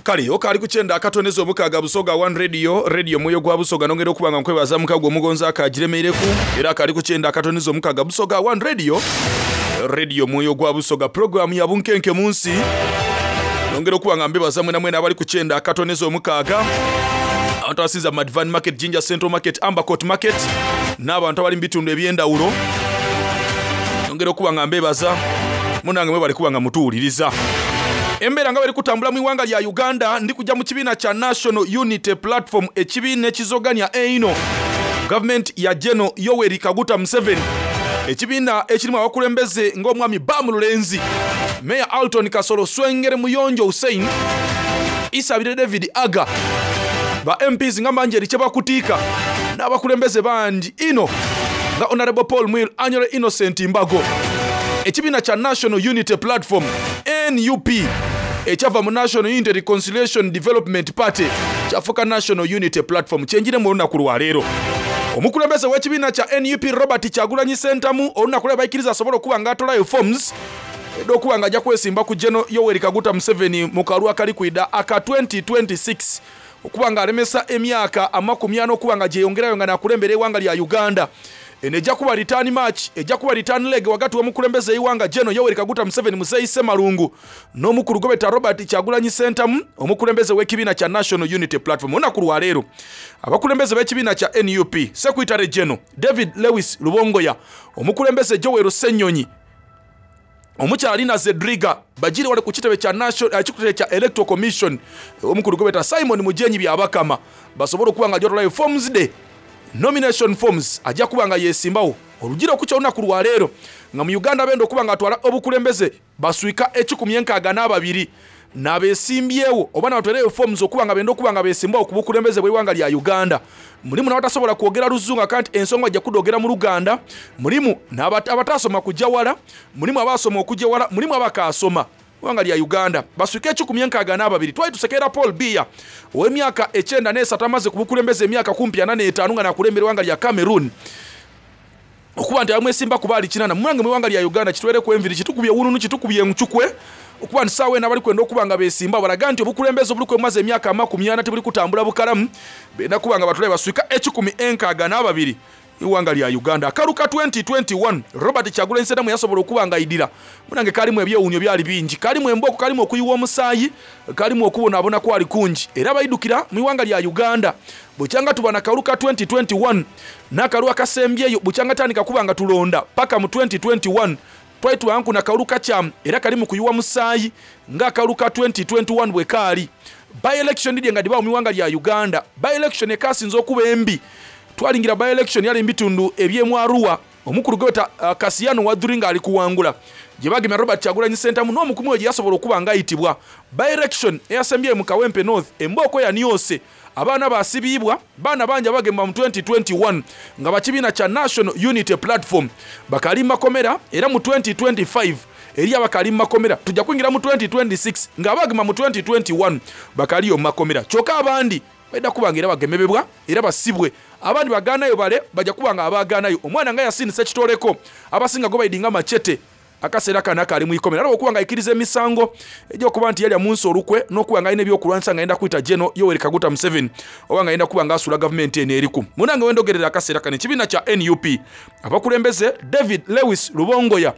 Kale okaali ku kyenda akatondeza omukaaga Busoga One Radio, radio mwoyo gwa Busoga nongera okuba nga nkwebaza mukago omugonzi akagiremereku era akaali ku kyenda akatondeza omukaaga Busoga One Radio, radio mwoyo gwa Busoga program ya bunkenke mu nsi nongera okuba nga mbebaza mwena mwena abali ku kyenda akatondeza omukaaga abantu abasinza Madvan Market, Jinja Central Market, Ambercourt Market n'abantu abali mu bitundu eby'endawulo nongera okuba nga mbebaza munange mwebale kuba nga mutuwuliriza. Embeera nga bweri kutambula mu iwanga lya Uganda ndi kujja mu kibiina kya National Unity Platform ekibiina ekizoganya eino gavumenti ya General Yoweri Kaguta Museveni ekibiina ekirimu abakulembeze ng'omwami Bam Lulenzi, Mayor Alton Kasolo Swengere Muyonjo Hussein, Isabire David Aga, ba MPs nga Manjeri Kyebakutiika n'abakulembeze bangi ino nga Honorable Paul Mwiru Anyore Innocent Mbago. Ekibiina kya National Unity Platform NUP ekyava mu National Unity Reconciliation Development Party kyafuuka National Unity Platform kyenjiremu olunaku lwaleero. Omukulembeze w'ekibiina kya nup Robert Kyagulanyi Ssentamu olunaku lwe baikiriza asobole okuba nga atolayo forms edh'okuba nga aja kwesimba ku General Yoweri Kaguta Museveni mu kalulu akali kwidha aka 2026 okuba nga alemesa emyaka 40 okuba nga gyeyongerayo nga nakulembera eighanga lya Uganda. Eno eja kuba return match, eja kuba return leg wagati w'omukulembeze eighanga General Yoweri Kaguta Museveni Muzeeyi Ssemalungu n'omukulu gwebeta Robert Kyagulanyi Ssentamu omukulembeze w'ekibiina kya National Unity Platform. Olunaku lwaleero abakulembeze b'ekibiina kya nup Secretary General David Lewis Lubongoya, omukulembeze Joel Ssenyonyi, omukyala Lina Zedriga bajire wale ku kitebe kya National ekitebe kya Electoral Commission omukulu gwebeta Simon Mujenyi Byabakama basobole okuba nga ajotolayo forms de nomination forms ajja kuba nga yesimbawo olujira okukya olunaku lwaleero nga mu Uganda benda okuba nga atwala obukulembeze baswika 162 n'abesimbyewo oba n'abatwereyo forms okuba nga benda okuba nga besimbawo ku bukulembeze bw'eighanga lya Uganda. Mulimu n'abatasobola kwogera luzungu akanti ensonga ajja kudogera mu Luganda, mulimu n'abatasoma kujja wala, mulimu abasoma okujja wala, mulimu abakaasoma ggwanga lya Uganda baswika 162. Twali tusekerera Paul Biya ow'emyaka 93 amaze ku bukulembeze emyaka kumpi 45 nga nakulembera eggwanga lya Cameroon okuba nti abamwesimba kuba ali 8 mumange mu ggwanga lya Uganda kitwereku enviri kitukubye wununu kitukubye encukwe okuba nti saawa eno abali kwenda okuba nga beesimba balaga nti obukulembeze obuli kwemaze emyaka 40 tebuli kutambula bukalamu benda kuba nga batulabe baswika 162 iwanga lya Uganda. Akalu ka 2021 Robert Kyagulanyi Ssentamu yasobola okuba nga aidira munange kalimu ebyewuunyo byali bingi, kalimu embooko, kalimu okuyiwa omusaayi, kalimu okubonaabona kwali kungi era baidukira mu iwanga lya Uganda. Bukyanga tuba na kalu ka 2021 n'akalu akasembyeyo bukyanga tandika kuba nga tulonda paka mu 2021 twali tubanku na kalu kakyamu era kalimu kuyiwa musaayi ng'akalu ka 2021 bwe kaali. By election didye nga dibaawo mu iwanga lya Uganda. By election ekasinze okuba embi twalingira by election yali mbitundu eby'emwaruwa omukulu gwebeta Kasiano Wadhuri ng'ali kuwangula gye bagemya Robert Kyagulanyi Ssentamu n'omukuumi we gye yasobola okuba ng'ayitibwa. By election eyasembyeyo mu Kawempe North embooko yaniose abaana basibiibwa baana bangi abagemwa mu 2021 nga bakibiina kya National Unity Platform bakali makomera era mu 2025 eri abakali makomera tujja kuyingira mu 2026 ng'abagema mu 2021 bakaliyo mu makomera kyokka abandi baida kuba nga era bagemebebwa era basibwe abandi bagaanayo bale bajja kuba nga abaagaanayo omwana nga Yasin Ssekitoleko abasinga gwe baidinga machete akaseera kano akali mu ikomera era okuba nga aikiriza emisango egy'okuba nti yalya mu nsi olukwe n'okuba nga alina ebyokulwanyisa nga ayenda kuyita General Yoweri Kaguta Museveni oba nga ayenda kuba nga asuula gavumenti eno eriku. Munange wendogerera akaseera kano ekibiina kya NUP abakulembeze David Lewis Lubongoya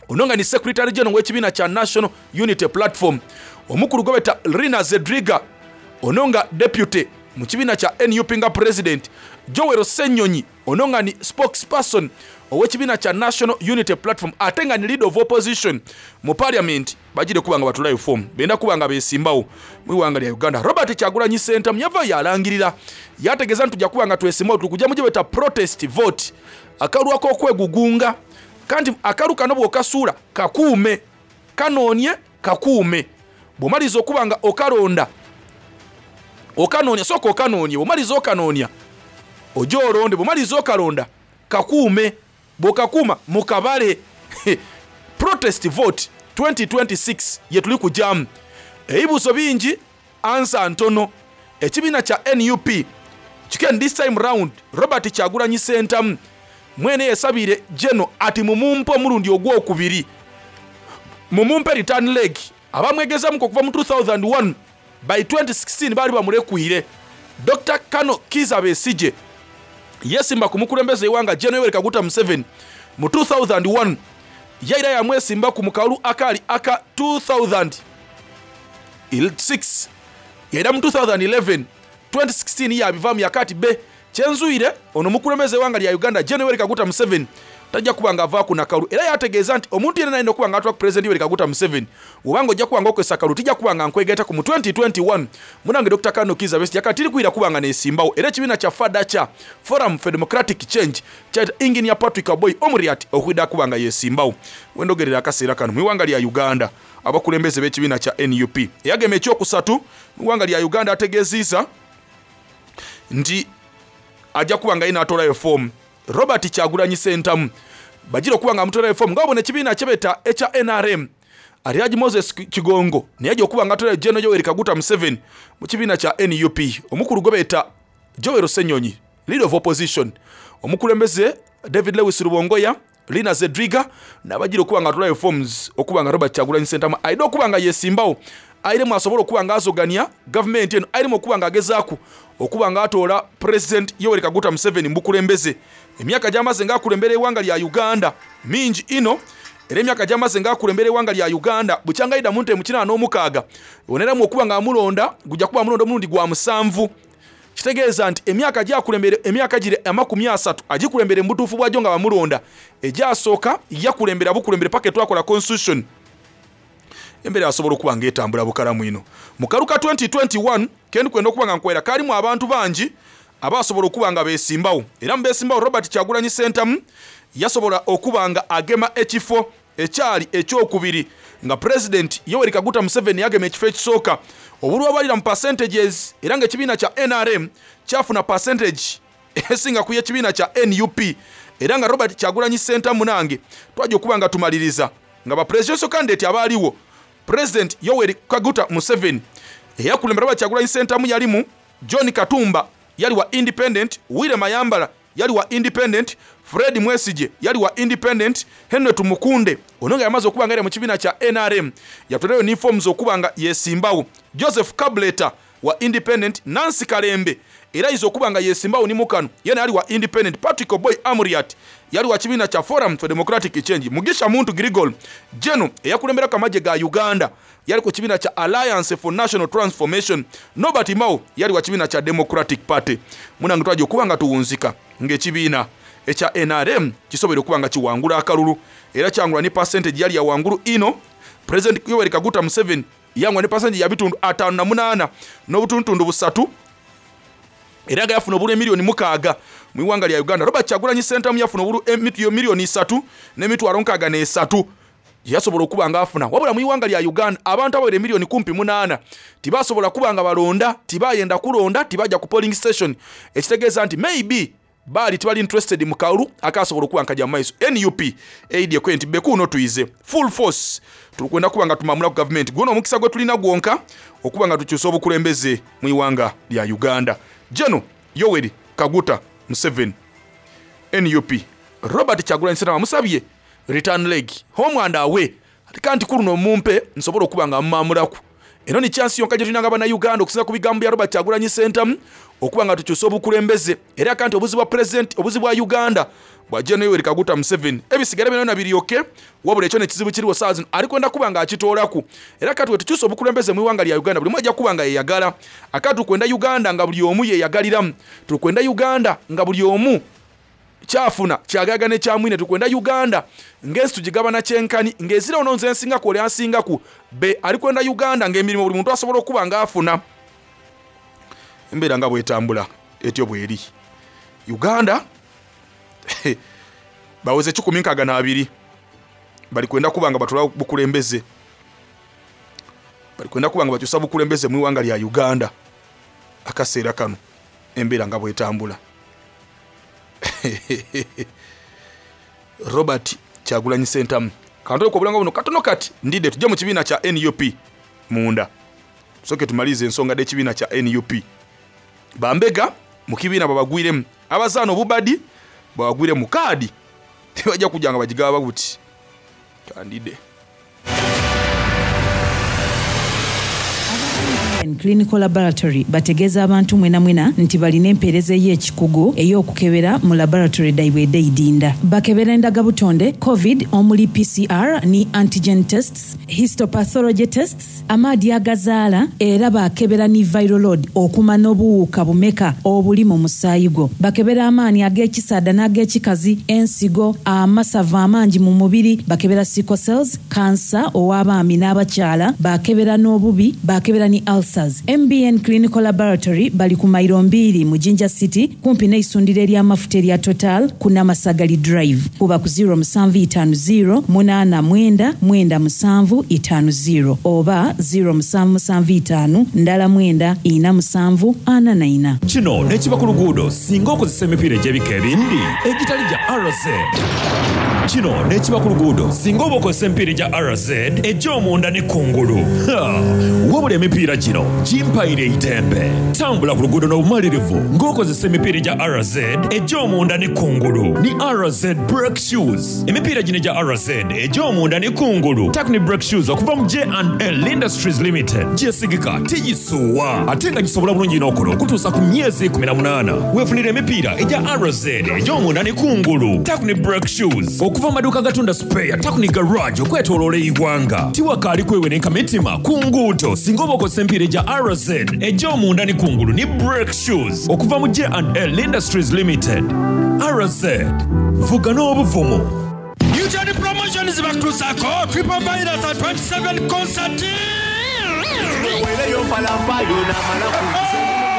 ono nga ni Secretary General w'ekibiina kya National Unity Platform, omukulu gwebeta Rina Zedriga ono nga deputy mu kibiina kya NUP nga president, Joel Ssenyonyi ono nga ni spokesperson ow'ekibiina kya National Unity Platform ate nga ni leader of opposition mu parliament bagire kuba nga batulayo form benda kuba nga besimbawo mu iwanga lya Uganda. Robert Kyagulanyi Ssentamu yava yalangirira yategeeza nti tujja kuba nga twesimbawo tuli kujja mu gye beta protest vote akalulu ak'okwegugunga kanti akalu kano bw'okasuula kakuume kanoonye kakuume bw'omaliriza okuba nga okalonda okanoonya sooka okanoonya bw'omaliriza okanoonya ojja olonde bw'omaliriza okalonda kakuume bw'okakuuma mukabale protest vote 2026 ye tuli kujyamu ebibuuzo bingi ansa ntono ekibiina kya NUP chicken this time round Robert Kyagulanyi Ssentamu mwene yesabire General ati mumumpe omulundi ogwokubiri mumumpe return leg abamwegezamu okuva mu 2001 by 2016 baali bamulekwire. Dr. Kano Kizza Besigye yesimba ku mukulembeze eiwanga General Yoweri Kaguta Museveni mu 2001 yaira yamwesimba ku mukalulu akali aka 2006 yaira mu 2011 2016 yabivamu yakati be kyenzuire ono mukulembeze eiwanga lya Uganda General Yoweri Kaguta Museveni tajja kuba nga avaaku nakalu era yategeeza nti omuntu yenna alina okuba nga atula ku President Yoweri Kaguta Museveni obanga ojja kuba nga okozesa kalulu tijja kuba nga nkwegaita ku mu 2021 munange Dr. Kano Kizza Besigye yakati tiri kwira kuba nga nesimbawo era ekibiina kya FADA kya Forum for Democratic Change kya Engineer Patrick Oboi Omuriat okwida kuba nga yesimbawo wendogerera akaseera kano mu iwanga lya Uganda abakulembeze b'ekibiina kya NUP eyagema ekyokusatu mu iwanga lya Uganda ategeziza nti ajja kuba nga yina atolayo form Robert Kyagulanyi Ssentamu bagira okuba nga amutolayo form nga babona ekibiina kyebeta ekya NRM Alhaji Moses Kigongo naye ajja okuba nga atolayo General Yoweri Kaguta Museveni mu kibiina kya NUP omukulu gwe beeta Joel Ssenyonyi Leader of Opposition, omukulembeze David Lewis Rubongoya, Lina Zedriga n'abagira okuba nga atolayo forms okuba nga Robert Kyagulanyi Ssentamu aidha okuba nga yesimbawo airemu asobole okuba nga azogania gavumenti eno airemu okuba nga agezaaku okuba nga atoola President Yoweri Kaguta Museveni mu bukulembeze. Emyaka gy'amaze nga akulembera eighanga lya Uganda mingi inho era emyaka gy'amaze nga akulembera eighanga lya Uganda bukyanga aidha mu ntebe mu 86 oneramu okuba nga amulonda gujja kuba amulonda omulundi gwa musanvu. Kitegeeza nti emyaka gyakulembere emyaka gire 30 agikulembere mu butuufu bwagyo nga bamulonda. Egyasooka yakulembera bukulembere paka etwakola constitution. Embeera yasobola okuba nga etambula bukalamu inho. Mu kalulu ka 2021 kendi kwenda okuba nga nkwera kaalimu abantu bangi abaasobola okuba nga beesimbawo era mu beesimbawo Robert Kyagulanyi Ssentamu yasobola okuba nga agema ekifo ekyali ekyokubiri nga Pulezidenti Yoweri Kaguta Museveni yagema ekifo ekisooka obululu abalira mu percentages era nga ekibiina kya nrm kyafuna percentage esinga ku y'ekibiina kya nup era nga Robert Kyagulanyi Ssentamu nange twajja okuba nga tumaliriza nga ba presidential candidate abaaliwo President Yoweri Kaguta Museveni eyakulembera Robert Kyagulanyi Ssentamu yalimu John Katumba yali wa Independent, Willy Mayambala yali wa Independent, Fred Mwesigye yali wa Independent, Henry Tumukunde ono nga yamaze okuba nga yali mu kibiina kya nrm yatwerayo ni forms okuba nga yesimbawo, Joseph Kabuleta wa Independent, Nancy Kalembe era ayiza okuba nga yesimbawo ni mukano yena yali wa Independent, Patrick Oboi Amuriat yali wa kibiina kya Forum for Democratic Change, Mugisha Muntu Grigol Geno eyakulemberaku amagye ga Uganda yali ku kibiina kya Alliance for National Transformation, Norbert Mao yali wa kibiina kya Democratic Party. Munange twajja okuba nga tuwunzika ng'ekibiina ekya nrm kisoboire okuba nga kiwangula akalulu era kyangula ni percentage yali ya wangulu inho. President Yoweri Kaguta Museveni yangula ni percentage ya bitundu 58 n'obutundutundu busatu era nga yafuna obululu emiliyoni mukaaga mu iwanga lya Uganda. Robert Kyagulanyi Ssentamu yafuna obululu miliyoni isatu n'emitwalo nkaaga n'esatu gye yasobola okuba nga afuna. Wabula mu iwanga lya Uganda abantu abawera emiliyoni kumpi 8 tibasobola kuba nga balonda, tibayenda kulonda, tibajja ku polling station, ekitegeeza nti maybe baali tibali interested mu kalulu akasobola okuba nkajja mu maiso. Nup eidye kwe nti bekuuno tuyize full force, tulikwenda kuba nga tumamula ku gavumenti guno omukisa gwe tulina gwonka okuba nga tukyusa obukulembeze mu iwanga lya Uganda. Geno Yoweri Kaguta Museveni, NUP, Robert Kyagulanyi Ssentamu amusabye return leg, home and away, ate kanti ku luno mumpe nsobola okuba nga mumamulaku. Eno ni chance yonka gye tulina nga bannayuganda okusinga ku bigambo bya Robert Kyagulanyi Ssentamu okuba nga tukyusa obukulembeze. Era kanti obuzibu bwa president, obuzibu bwa Uganda bwa Gen Yoweri Kaguta Museveni, ebisigala byonna biryoke, wabula ekyo nekizibu kiriwo saa zino ali kwenda kuba nga akitoolaku. Era kati wetukyusa obukulembeze mu iwanga lya Uganda buli omu ajja kuba nga yeyagala. Akati tukwenda Uganda nga buli omu yeyagaliramu, tukwenda Uganda nga buli omu kyafuna kyagaga ne kyamwine, tukwenda Uganda ng'ensi tugigabana kyenkani ng'ezira ono nze nsingaku oli ansingaku be ali kwenda Uganda ng'emirimu buli muntu asobola okuba ng'afuna. Embeera nga bwetambula etyo bweri Uganda baweze 162 bali kwenda kuba nga batula bukulembeze, bali kwenda kuba nga bakyusa bukulembeze mu iwanga lya Uganda. Akaseera kano embeera nga bwetambula. Robert Kyagulanyi Ssentamu kantole ku obulanga buno katono kati ndidde tujje mu kibiina kya NUP munda tusooke tumalirize ensonga dh'ekibiina kya NUP. Bambega mu kibiina babagwiremu, abazaana obubadi babagwire mu kaadi tebajja kujja nga bagigaba buti kandide. Clinical Laboratory bategeeza abantu mwena mwena nti balina empeereza ey'ekikugu ey'okukebera mu laboratory daibwe edeidinda. Bakebera endagabutonde, COVID omuli PCR ni antigen tests, histopathology tests, amaadi agazaala era bakebera ni viral load okumanya obuwuka bumeka obuli mu musaayi gwo. Bakebera amaani ag'ekisaada n'ag'ekikazi, ensigo, amasavu amangi mu mubiri, bakebera sickle cells, kansa ow'abaami n'abakyala, bakebera n'obubi, bakebera ni ulcers. MBN Clinical Laboratory bali ku mairo mbiri mu Jinja City kumpi n'eisundiro ery'amafuta erya Total ku Namasagali Drive. Kuba ku 0750 89 9750 oba 0775 ndala 9 4 7 44. Kino n'ekiba ku luguudo singa okozesa emipiira egy'ebika ebindi egitali gya RZ. Kino n'ekiba ku luguudo singa oba okozesa emipiira egya RZ egy'omunda ni kungulu. Ha! Wabula emipiira gino gimpaire eidembe. Tambula ku luguudo n'obumalirivu ng'okozesa emipiira egya RZ egy'omunda ni kungulu ni RZ Brake Shoes. Emipiira gino egya RZ egy'omunda ni kungulu Takni Brake Shoes okuva mu J&L Industries Limited gyesigika, tigisuuwa ate nga gisobola bulungi n'okola okutuusa ku myezi 18. Weefunire emipiira egya RZ egy'omunda ni kungulu Takni Brake Shoes okuva mu maduuka agatunda sipeeya Takni Garage okwetoloola eighanga. Tiwakaali kwewenenka mitima ku nguudo singa oba okozesa emipiira egya RZ egy'omunda ni kungulu ni Brake Shoes okuva mu J&L Industries Limited. RZ, vuga n'obuvumu. Newton Promotions bakutuusaako Triple Virus at 27 Concert.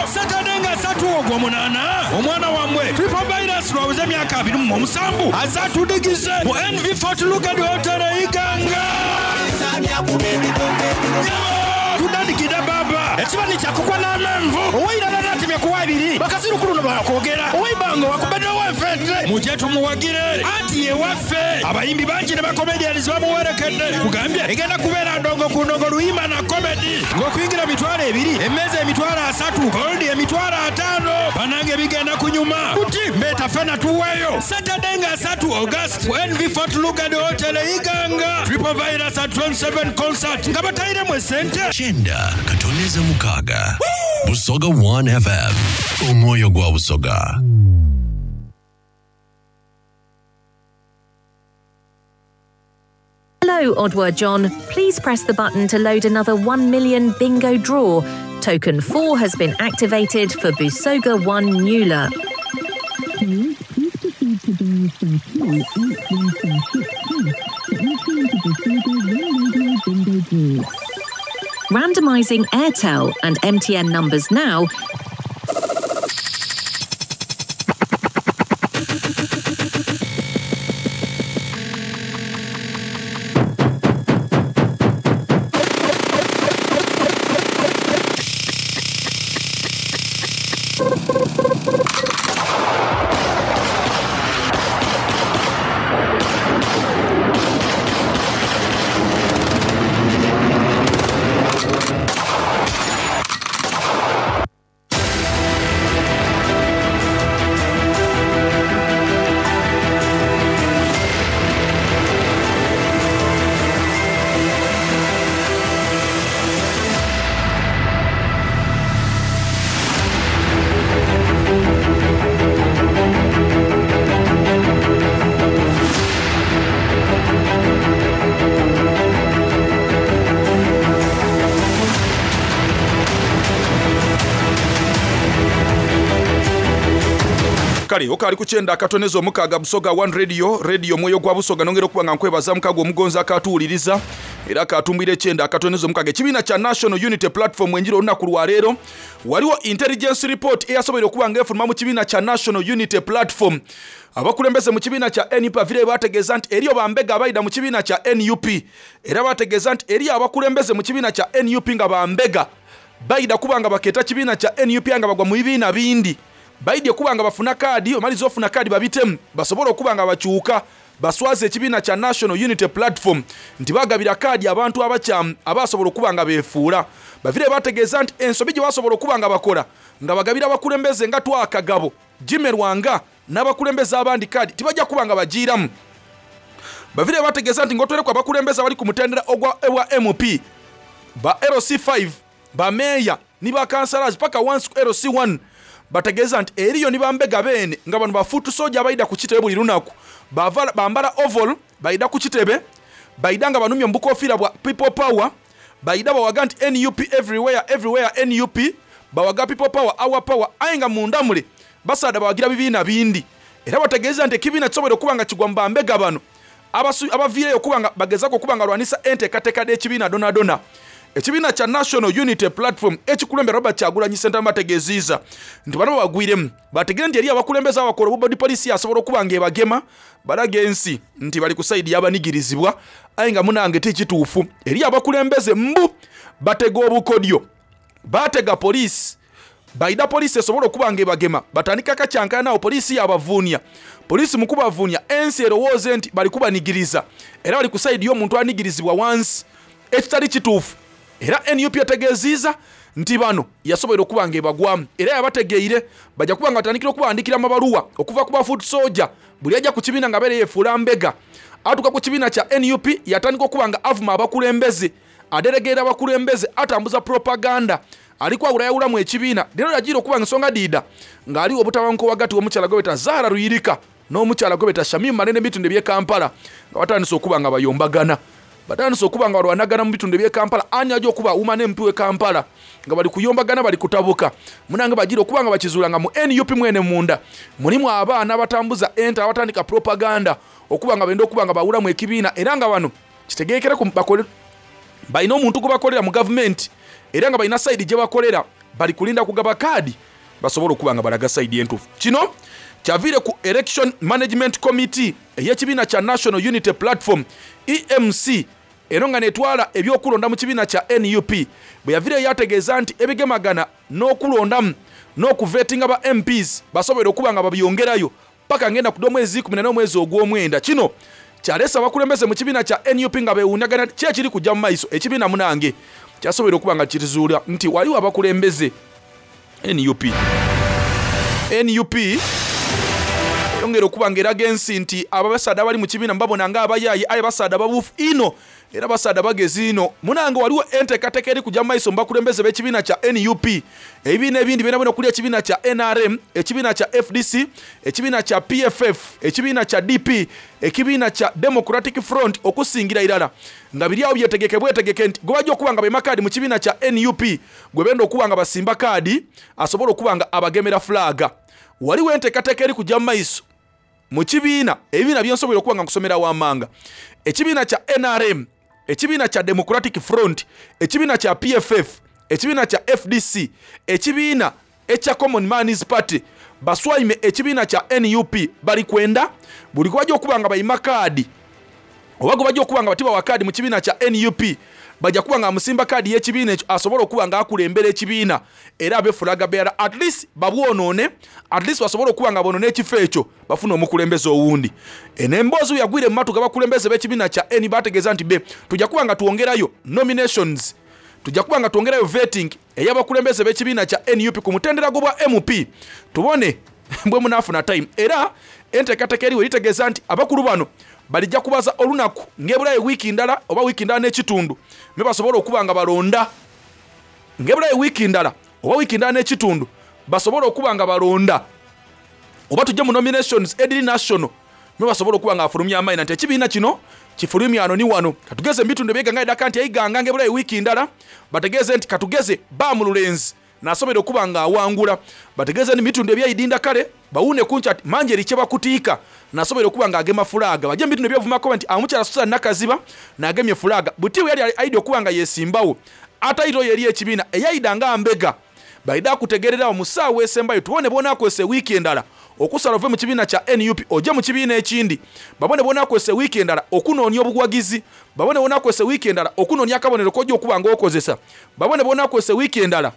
Saturday nga satu ogw'omunaana omwana wammwe Triple Virus lwaweze emyaka 27 aze atudigize mu NV Fort Lugard Hotel e Iganga. Tudandikidde baba ekibani kyakukwa n'amenvu owairala natemya kuwa ebiri bakazirukulu no bakwogera owaibanga wakubedde owenfente mujje tumuwagire anti yewaffe abayimbi bangi ne bakomedians bamuwerekedde kugambye egenda kubeera ndongo ku ndongo luyimba na komedi ng'okuyingira 20,000 emmeeza 30,000 goldi 50,000 banange bigenda kunyuma buti mbeeta fena tuweeyo Saturday nga 3 August ku NV Fort Lugard Hotel e Iganga Triple Virus at 27 concert nga batayiremu esente Kyenda katoneza mukaaga Busoga 1 FM omwoyo gwa Busoga. Hello, Odward John. Please press the button to load another 1 million bingo draw. Token 4 has been activated for Busoga 1 Nula. Please proceed to dial *2 8146 hash to enter into Busoga 1 Radio Bingo Draw. Randomising Airtel and MTN numbers now. Kale okaali ku kyenda akatoneza omukaaga Busoga One Radio, radio omwoyo gwa Busoga. Nongera okuba nga nkwebaza mukago omugonzi akatuwuliriza era akatumbwira ekyenda akatoneza omukaaga. Ekibiina kya National Unity Platform enjira olunaku lwaleero waliwo intelligence report eyasoboire okuba nga efuluma mu kibiina kya National Unity Platform. Abakulembeze mu kibiina kya NUP bavire bategeeza nti eriyo bambega abayida mu kibiina kya NUP, era bategeeza nti eriyo abakulembeze mu kibiina kya NUP nga bambega bayida kuba nga bakeeta kibiina kya NUP nga bagwa mu bibiina bindi. Baidye kuba nga bafuna kaadi, omaliza ofuna kaadi babitemu basobole okuba nga bakyuka baswaze ekibiina kya National Unity Platform nti bagabira kaadi abantu abakyamu abasobola okuba nga beefuula. Bavire bategeeza nti ensobi gye basobola okuba nga bakola nga bagabira abakulembeze nga Twakagabo, Jimmy Lwanga n'abakulembeze abandi kaadi tibajja kuba nga bagiiramu. Bavire bategeeza nti ng'otwerekwa abakulembeze abali ku mutendera ogwa MP, ba LC5, ba meeya ni ba councillors paka once ku LC1. Bategeeza nti eriyo ni bambega beene nga bano bafuutu soja abayida ku kitebe buli lunaku bambala oval bayida ku kitebe bayida nga banumye mu bukofiira bwa people power bayida bawaga nti NUP everywhere everywhere NUP bawaga people power our power aye nga munda mule basaada bawagira bibiina bindi. Era bategeeza nti ekibiina kisobola okuba nga kigwa mu bambega bano abaviireyo okuba nga bagezaako okuba nga balwanisa enteekateeka d'ekibiina donadona. Ekibiina kya National Unity Platform ekikulembera Robert Kyagulanyi Ssentamu bategeezizza nti bano babagwiremu bategere nti eri abakulembeze abakola obubodi poliisi asobola okuba ng'ebagema balaga ensi nti bali ku sayidi y'abanigirizibwa aye nga munange ti kituufu. Eri abakulembeze mbu batega obukodyo, batega poliisi Baidha poliisi esobole okuba nga ebagema, batandika akakyankalano agho poliisi yaabavuunia. Poliisi mu kubavuunia, ensi erowooze nti bali kubanigiriza era bali ku sayidi y'omuntu anigirizibwa wansi ekitali kituufu. Era nup etegeziiza nti bano yasoboire okuba nga ebagwamu era yabategeire baja kuba nga batandikira okubawandikira amabaluwa okuva ku ba foot soldier. Buli aja ku kibiina nga abeera yefuula mbega atuuka ku kibiina kya nup yatandika okuba nga avuma abakulembeze, aderegeera abakulembeze, atambuza propaganda ali kwawulayawulamu ekibiina. Lero yajiira okuba nga ensonga dhiidha nga aliwo obutabanguko ghagati w'omukyala gwebeta Zahara Luyirika n'omukyala gwebeta Shamim Malende mu bitundu eby'e Kampala nga batandise okuba nga bayombagana. Batandise okuba nga balwanagana mu bitundu eby'e Kampala ani aja okuba woman MP w'e Kampala nga bali kuyombagana bali kutabuka. Munange bajiira okuba nga bakizuula nga mu nup mwene munda mulimu abaana abatambuza ente abatandika propaganda okuba nga benda okuba nga bawulamu ekibiina era nga bano kitegerekere ku bakole balina omuntu gwe bakolera mu gavumenti era nga balina sayidi gye bakolera bali kulinda kugaba kaadi basobole okuba nga balaga sayidi entuufu. Kino kyaviire ku Election Management Committee ey'ekibiina kya National Unity Platform EMC eno nga netwala ebyokulonda mu kibiina kya nup bwe yaviireyo yategeeza nti ebigemagana n'okulondamu n'okuvetinga ba MPs basobole okuba nga babyongerayo paka ngenda ku dh'omwezi 14 omwezi ogw'omwenda. Kino kyaleese abakulembeze mu kibiina kya nup nga bewuunagana ki ekiri kujja mu maiso. Ekibiina munange kyasoboire okuba nga kirizuula nti waliwo abakulembeze nup. Nup eyongera okuba nga eraga ensi nti abasaadha abali mu kibiina mubabona nga abayaaye aye basaadha babuufu inho era basaadha bagezi inho. Munange waliwo enteekateeka eri kuja mu maiso mu bakulembeze b'ekibiina kya nup. Ebibiina ebindi byonabyona okuli ekibiina kya nrm, ekibiina kya fdc, ekibiina kya PFF, ekibiina kya DP, ekibiina kya Democratic Front okusingira irala nga biri agho byetegeke bwetegeke nti gwebaja okuba nga baima kaadi mu kibiina kya nup gwebenda okuba nga basimba kaadi asobole okuba nga abagemera fulaaga. Waliwo enteekateeka eri kuja mu maiso mu kibiina ebibiina byensoboire okuba nga nkusomera wamanga, ekibiina kya nrm, ekibiina kya Democratic Front, ekibiina kya PFF, ekibiina kya fdc, ekibiina ekya Common Man's Party baswaime ekibiina kya nup bali kwenda buli gwebaja okuba nga baima kaadi oba gwebaja okuba nga tibawa kaadi mu kibiina kya nup baja kuba nga bamusimba kaadi y'ekibiina ekyo asobole okuba nga akulembera ekibiina era abe flag bearer at least babwonoone at least basobole okuba nga bonoona ekifo ekyo bafune omukulembeze owundi. Eno emboozi bweyagwire mu matu g'abakulembeze b'ekibiina kya nu bategeeza nti be tuja kuba nga twongerayo nominations, tuja kuba nga twongerayo vetting ey'abakulembeze b'ekibiina kya nup ku mutendera gw'obwa MP tubone bwe munaafuna time. Era enteekateeka eriwo eritegeeza nti abakulu bano balija kubaza olunaku ng'ebulayo wiiki ndala oba wiiki ndala n'ekitundu me basobole okuba nga balonda ng'ebulayo wiiki ndala oba wiiki ndala n'ekitundu basobole okuba nga balonda oba tujje mu nominations ediri national me basobole okuba nga bafulumya amaina nti ekibiina kino kifulumya ano ni wano. Katugeze mu bitundu eby'eighanga idaka nti eighanga ng'ebulayo wiiki ndala bategeeze nti katugeze Baamululenzi nasoboire okuba nga awangula. Bategeeze ni mu bitundu eby'eidinda kale bawuune ku nkya nti Manjeri kyebakutiika nasoboire okuba nga agema fulaaga. Baje mu bitundu eby'obuvumakobe nti omukyala Susan Nakaziba naagemye fulaaga. Buti bwe yali aidha okuba nga yesimbawo ataito yo eri ekibiina eyaidha nga mbega. Baidha kutegeerera agho mu saawa esembayo tubone bw'onaakozesa ewiiki endala okusala ove mu kibiina kya nup oje mu kibiina ekindi. Babone bw'onaakozesa ewiiki endala okunoonia obuwagizi. Babone bw'onaakozesa ewiiki endala okunoonia akabonero k'oja okuba nga okozesa. Babone bw'onaakozesa ewiiki endala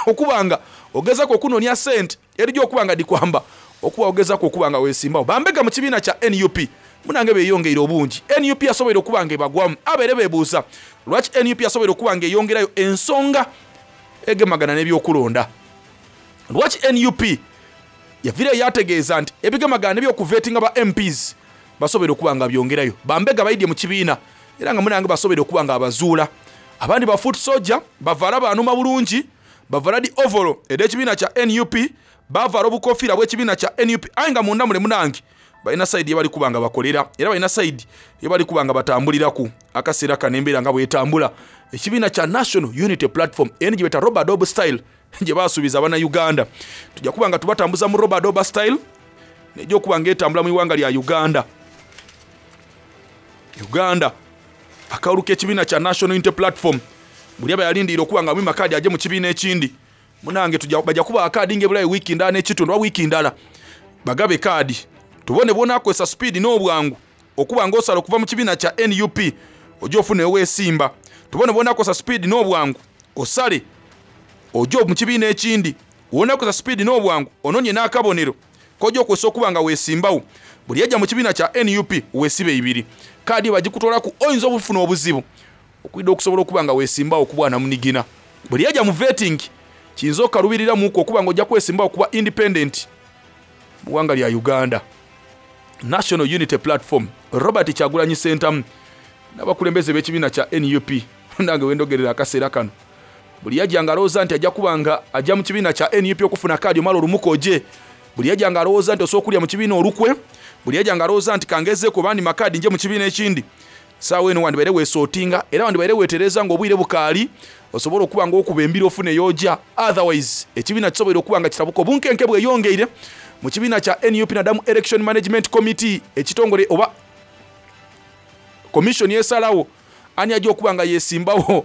okuba nga ogezaku okunoonia sente edhija okuba nga dhikwamba okuba ogezaku okuba nga weesimbagho. Bambega mu kibiina kya nup munange beeyongeire obungi. Nup yasoboire okuba nga ebagwamu. Abaire beebuuza lwaki nup yasoboire okuba nga eyongerayo ensonga egemagana n'ebyokulonda. Lwaki nup yaviireyo yaategeeza nti ebigemagana n'ebyokuvetinga ba MPs basoboire okuba nga byongerayo. Bambega baidye mu kibiina era nga munange basoboire okuba nga abazuula. Abandi ba foot soldier bavaala baanuma bulungi, bavaala dhi ovolo edh'ekibiina kya nup, bavaala obukofiira bw'ekibiina kya nup aye nga munda mule munange balina sayidi yebali kuba nga bakolera era balina sayidi yebali kuba nga batambuliraku akaseera kano embeera nga bwetambula. Ekibiina kya National Unity Platform eno gyebeta Robadob style gye baasuubiza Abannayuganda. Tujja kuba nga tubatambuza mu Robadob style nejja okuba nga etambula mu iwanga lya Uganda. Uganda akalulu k'ekibiina kya National Unity Platform buli aba yalindiira okuba nga amwima kaadi aje mu kibiina ekindi munange tujja bajja kuba kaadi ng'ebulayo wiiki ndala n'ekitundu oba wiiki ndala bagabe kaadi tubone bw'onaakozesa sipiidi n'obwangu okuba ng'osala okuva mu kibiina kya nup ojja ofuna eweesimba tubone bw'onaakozesa sipiidi n'obwangu osale ojja mu kibiina ekindi Wonakoza sipiidi n'obwangu ononye n'akabonero kojja okwesa okuba nga weesimbawo. Buli yajja mu kibiina kya nup weesibe ibiri. Kaadi bagikutolaku oyinza obufuna obuzibu okwidda okusobola okuba nga weesimbawo ku bwanamunigina. Buli yajja mu vetting kiyinza okukalubiriramuku okuba nga ojja kwesimbawo kuba independent mu ggwanga lya Uganda. National Unity Platform Robert Kyagulanyi Ssentamu n'abakulembeze b'ekibiina kya nup nange wendogerera akaseera kano. Buli yajja nga alowooza nti ajja kuba nga ajja mu kibiina kya nup okufuna kaadi omala olumuka oje. Buli yajja nga alowooza nti osobola okulya mu kibiina olukwe. Buli yajja nga alowooza nti kangezeeko bandi makaadi nje mu kibiina ekindi. Saawa eno wandibaire weesootinga era wandibaire weetereza ng'obwire bukaali osobola okuba nga okuba embiro ofune y'ojja. Otherwise ekibiina kisoboire okuba nga kitabuka obunkenke bweyongeire mu kibiina kya nup nadamu Election Management Committee ekitongole oba commission esalawo ani ajja okuba nga yesimbawo.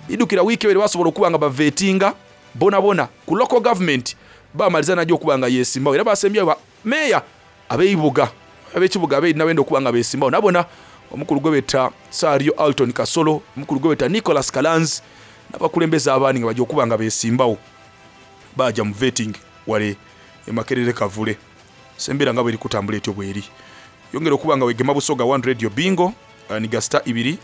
Bidukira wiiki ebere basobola okuba nga bavetinga bonabona ku local government bamaliza najja okuba nga yesimbawo era basembyeyo ba meeya ab'eibuga ab'ekibuga abeerina benda okuba nga besimbawo nabona omukulu gwe beta Sario Alton Kasolo, omukulu gwe beta Nicholas Kalanzi n'abakulembeze abandi nga bajja okuba nga besimbawo baja mu vetting wale emakerere kavule. Sembera nga bweri kutambula etyo bweri yongera okuba nga wegema Busoga One Radio Bingo ni gasita ibiri.